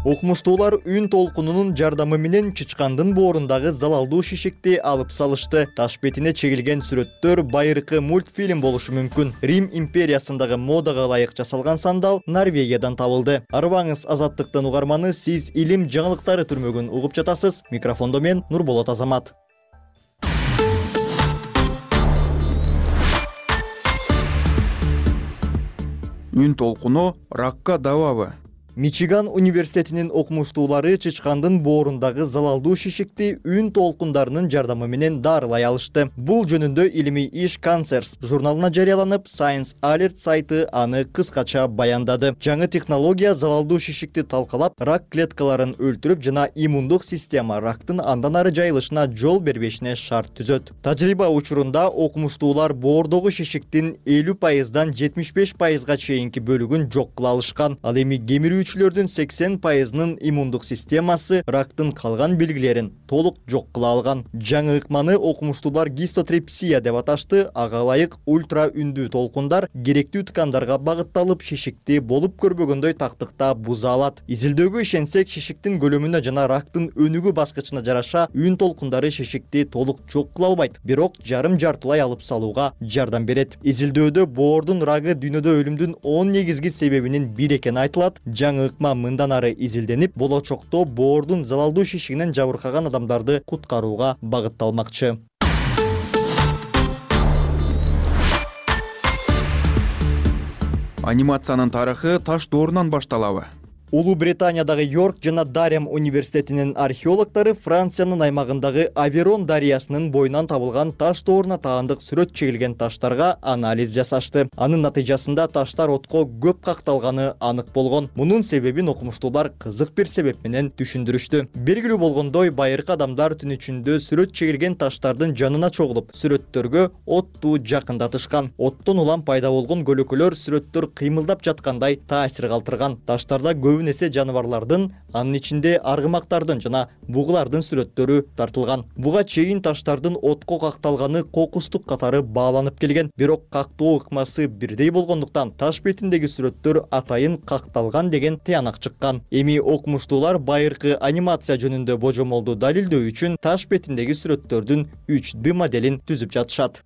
Окумуштуулар үн толкунунун жардамы менен чычкандын боорундагы залалдуу шишикти алып салышты. Таш бетине чегилген сүрөттөр байыркы мультфильм болушу мүмкүн. Рим империясындагы модага ылайык жасалган сандал Норвегиядан табылды. Арыбаңыз, Азаттыктын угарманы, сиз илим жаңылыктары түрмөгүн угуп жатасыз. Микрофондо мен Нурболот Азамат. Үн толкуну ракка дабабы. Мичиган университетинин окумуштуулары чычкандын боорундагы залалдуу шишикти үн толкундарынын жардамы менен дарылай алышты. Бул жөнүндө илимий иш Cancers журналына жарыяланып, Science Alert сайты аны кыскача баяндады. Жаңы технология залалдуу шишикти талкалап, рак клеткаларын өлтүрүп жана иммундук система рактын андан ары жайылышына жол бербешине шарт түзөт. Тажрыйба учурунда окумуштуулар боордогу шишиктин 50%дан 75%га чейинки бөлүгүн жок кыла алышкан. Ал эми кемирүүчүлөрдүн 80%-нын иммундук системасы рактын калган белгилерин толук жок кыла алган. Жаңы ыкманы окумуштуулар гистотрепсия деп аташты. Ага ылайык ультра үндүү толкундар керектүү ткандарга багытталып, шишикти болуп көрбөгөндөй тактыкта буза алат. Изилдөөгө ишенсек, шишиктин көлөмүнө жана рактын өнүгүү баскычына жараша үн толкундары шишикти толук жок кыла албайт, бирок жарым-жартылай алып салууга жардам берет. Изилдөөдө боордун рагы дүйнөдө өлүмдүн 10 негизги себебинин бири экени айтылат. Жаңы ыкма мындан ары изилденип, болочокто боордун залалдуу шишигинен жабыркаган адамдарды куткарууга багытталмакчы. Анимациянын тарыхы таш доорунан башталабы? Улуу Британиядагы Йорк жана Дарем университетинин археологдору Франциянын аймагындагы Аверон дарыясынын боюнан табылган таш дооруна таандык сүрөт чегилген таштарга анализ жасашты. Анын натыйжасында таштар отко көп какталганы анык болгон. Мунун себебин окумуштуулар кызык бир себеп менен түшүндүрүштү. Белгилүү болгондой, байыркы адамдар түн ичинде сүрөт чегилген таштардын жанына чогулуп, сүрөттөргө отту жакындатышкан. Оттон улам пайда болгон көлөкөлөр сүрөттөр кыймылдап жаткандай таасир калтырган. Таштарда эсе жаныбарлардын, анын ичинде аргымактардын жана бугулардын сүрөттөрү тартылган. Буга чейин таштардын отко какталганы кокустук катары бааланып келген. Бирок кактоо ыкмасы бирдей болгондуктан таш бетиндеги сүрөттөр атайын какталган деген тыянак чыккан. Эми окумуштуулар байыркы анимация жөнүндө божомолду далилдөө үчүн таш бетиндеги сүрөттөрдүн 3D моделин түзүп жатышат.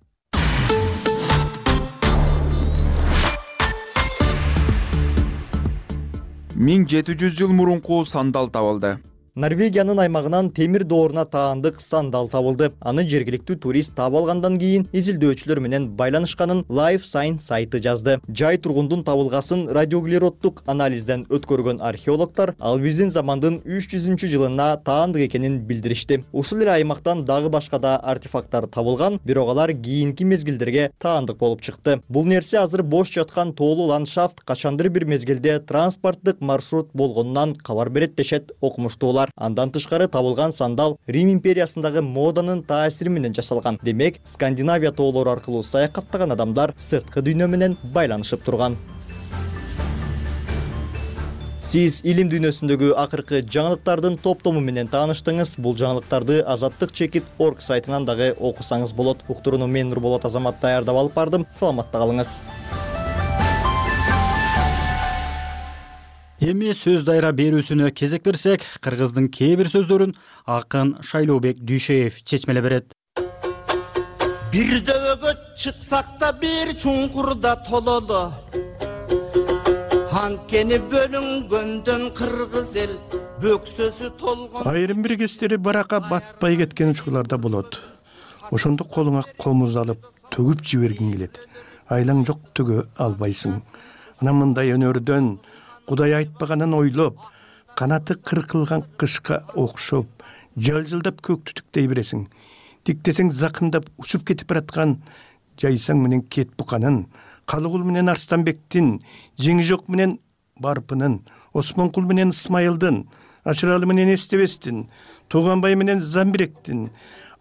1700 жыл мурунку сандал табылды. Норвегиянын аймагынан темир дооруна таандык сандал табылды. Аны жергиликтүү турист таап алгандан кийин изилдөөчүлөр менен байланышканын Life Science сайты жазды. Жай тургундун табылгасын радиоуглероддук анализден өткөргөн археологдор ал биздин замандын 300-жылына таандык экенин билдиришти. Ушул эле аймактан дагы башка да артефакттар табылган, бирок алар кийинки мезгилдерге таандык болуп чыкты. Бул нерсе азыр бош жаткан тоолуу ландшафт качандыр бир мезгилде транспорттук маршрут болгонунан кабар берет дешет окумуштуулар. Андан тышкары табылган сандал Рим империясындагы моданын таасири менен жасалган. Демек, Скандинавия тоолору аркылуу саякаттаган адамдар сырткы дүйнө менен байланышып турган. Сиз илим дүйнөсүндөгү акыркы жаңылыктардын топтому менен тааныштыңыз. Бул жаңылыктарды azatdыкчекит.org сайтынан дагы окусаңыз болот. Уктурууну мен Нурболот Азамат даярдап алып бардым. Саламатта калыңыз. Эми сөз дайра берүүсүнө кезек берсек, кыргыздын кээ бир сөздөрүн акын Шайлообек Дүйшеев чечмелеп берет. Бир дөбөгө чыксак да бир чуңкурда тололу. Анткени бөлүнгөндөн кыргыз эл бөксөсү толгон. Айрым бир кездери баракка батпай кеткен учурларда болот. Ошондо колуңа комуз алып төгүп жибергиң келет. Айлаң жок төгө албайсың. Анан мындай өнөрдөн Кудай айтпаганын ойлоп, канаты кыркылган кышка окшоп, жалжылдап көктү тиктей бересиң. Тиктесең закындап учуп кетип бараткан жайсаң менен кет буканын, Калыгул менен Арстанбектин, Жеңи жок менен Барпынын, Осмонкул менен Исмайылдын, Ашыралы менен Эстебестин, Тууганбай менен Замбиректин,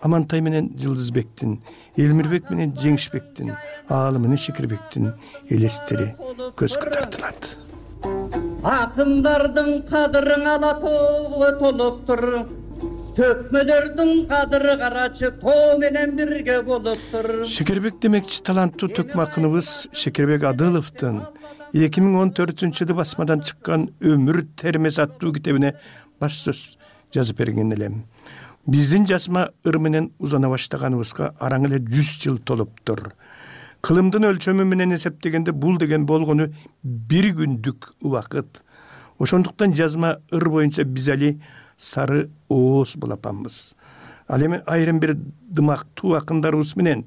Амантай менен Жылдызбектин, Элмирбек менен Жеңишбектин, Аалы менен Шекирбектин элестери көзгө тартылат. Акындардын кадырын ала тоого толуптур. Төкмөлөрдүн кадыры карачы тоо менен бирге болуптур. Шекербек демекчи таланттуу төкмө акыныбыз Шекербек Адыловдун 2014-жылы басмадан чыккан Өмүр термес аттуу китебине баш сөз жазып берген элем. Биздин жазма ыр менен узана баштаганыбызга араң эле 100 жыл толуптур. Кылымдын өлчөмү менен эсептегенде бул деген болгону бир күндүк убакыт. Ошондуктан жазма ыр боюнча биз али сары ооз булапанбыз. Ал эми айрым бир дымактуу акындарыбыз менен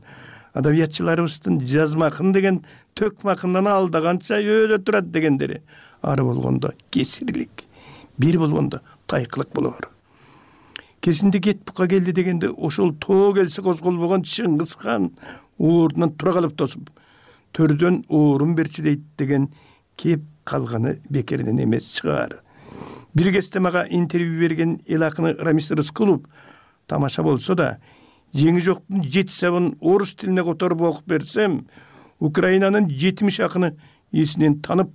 адабиятчыларыбыздын жазма акын деген төкмө акындан алдаганча өйдө турат дегендери ары болгондо кесирлик, бир болгондо тайкылык болор. Кесинде кет бука келди дегенде ошол тоо келсе козголбогон Чыңгыз хан ордунан тура калып тосуп, төрдөн оорун берчи дейт деген кеп калганы бекерден эмес чыгар. Бир кезде мага интервью берген эл акыны Рамис Рыскулов тамаша болсо да, Жеңи жоктун 7 сабын орус тилине которуп окуп берсем, Украинанын 70 акыны эсинен танып,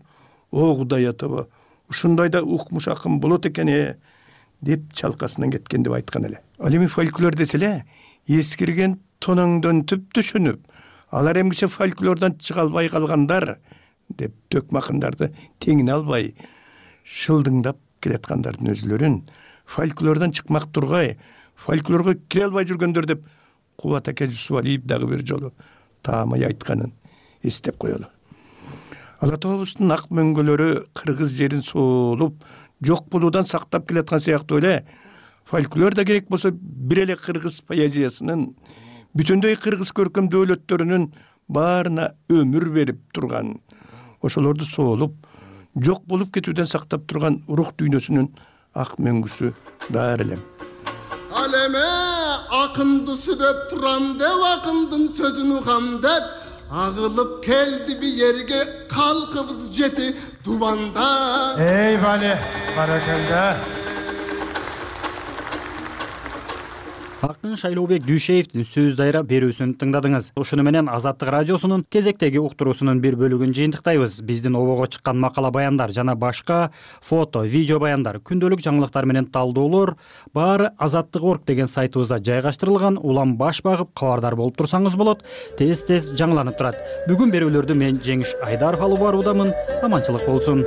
о Кудай атаба, ушундай да укмуш акын болот экен деп чалкасынан кеткен деп айткан эле. Ал эми фольклор десе эле, эскирген тоноңдон түп түшүнүп, алар эмгиче фольклордон чыга албай калгандар деп төкмө акындарды теңине албай шылдыңдап келаткандардын өзлөрүн фольклордон чыкмак тургай, фольклорго кире албай жүргөндөр деп Кубат аке Жусупалиев дагы бир жолу таамай айтканын эстеп коелу. Ала тообуздун ак мөңгөлөрү кыргыз жерин соолуп, жок болуудан сактап келаткан сыяктуу эле фольклор да керек болсо бир эле кыргыз поэзиясынын бүтүндөй кыргыз көркөм дөөлөттөрүнүн баарына өмүр берип турган. ошолорду соолуп жок болуп кетүүдөн сактап турган рух дүйнөсүнүн ак мөңгүсү даар элем. Ал эме акынды сүрөп турам деп акындын сөзүн угам деп агылып келди биерге калкыбыз жети дубанда. Эй бали, баракалда. Акын Шайлообек Дүйшеевдин сөз дайра берүүсүн тыңдадыңыз. Ушуну менен Азаттык радиосунун кезектеги уктуруусунун бир бөлүгүн жыйынтыктайбыз. Биздин обого чыккан макала баяндар жана башка фото, видео баяндар, күндөлүк жаңылыктар менен талдоолор баары Азаттык.org деген сайтыбызда жайгаштырылган. Улам баш багып кабардар болуп турсаңыз болот. Тез жаңыланып турат. Бүгүн берүүлөрдү мен Жеңиш Айдаров алып баруудамын. Аманчылык болсун.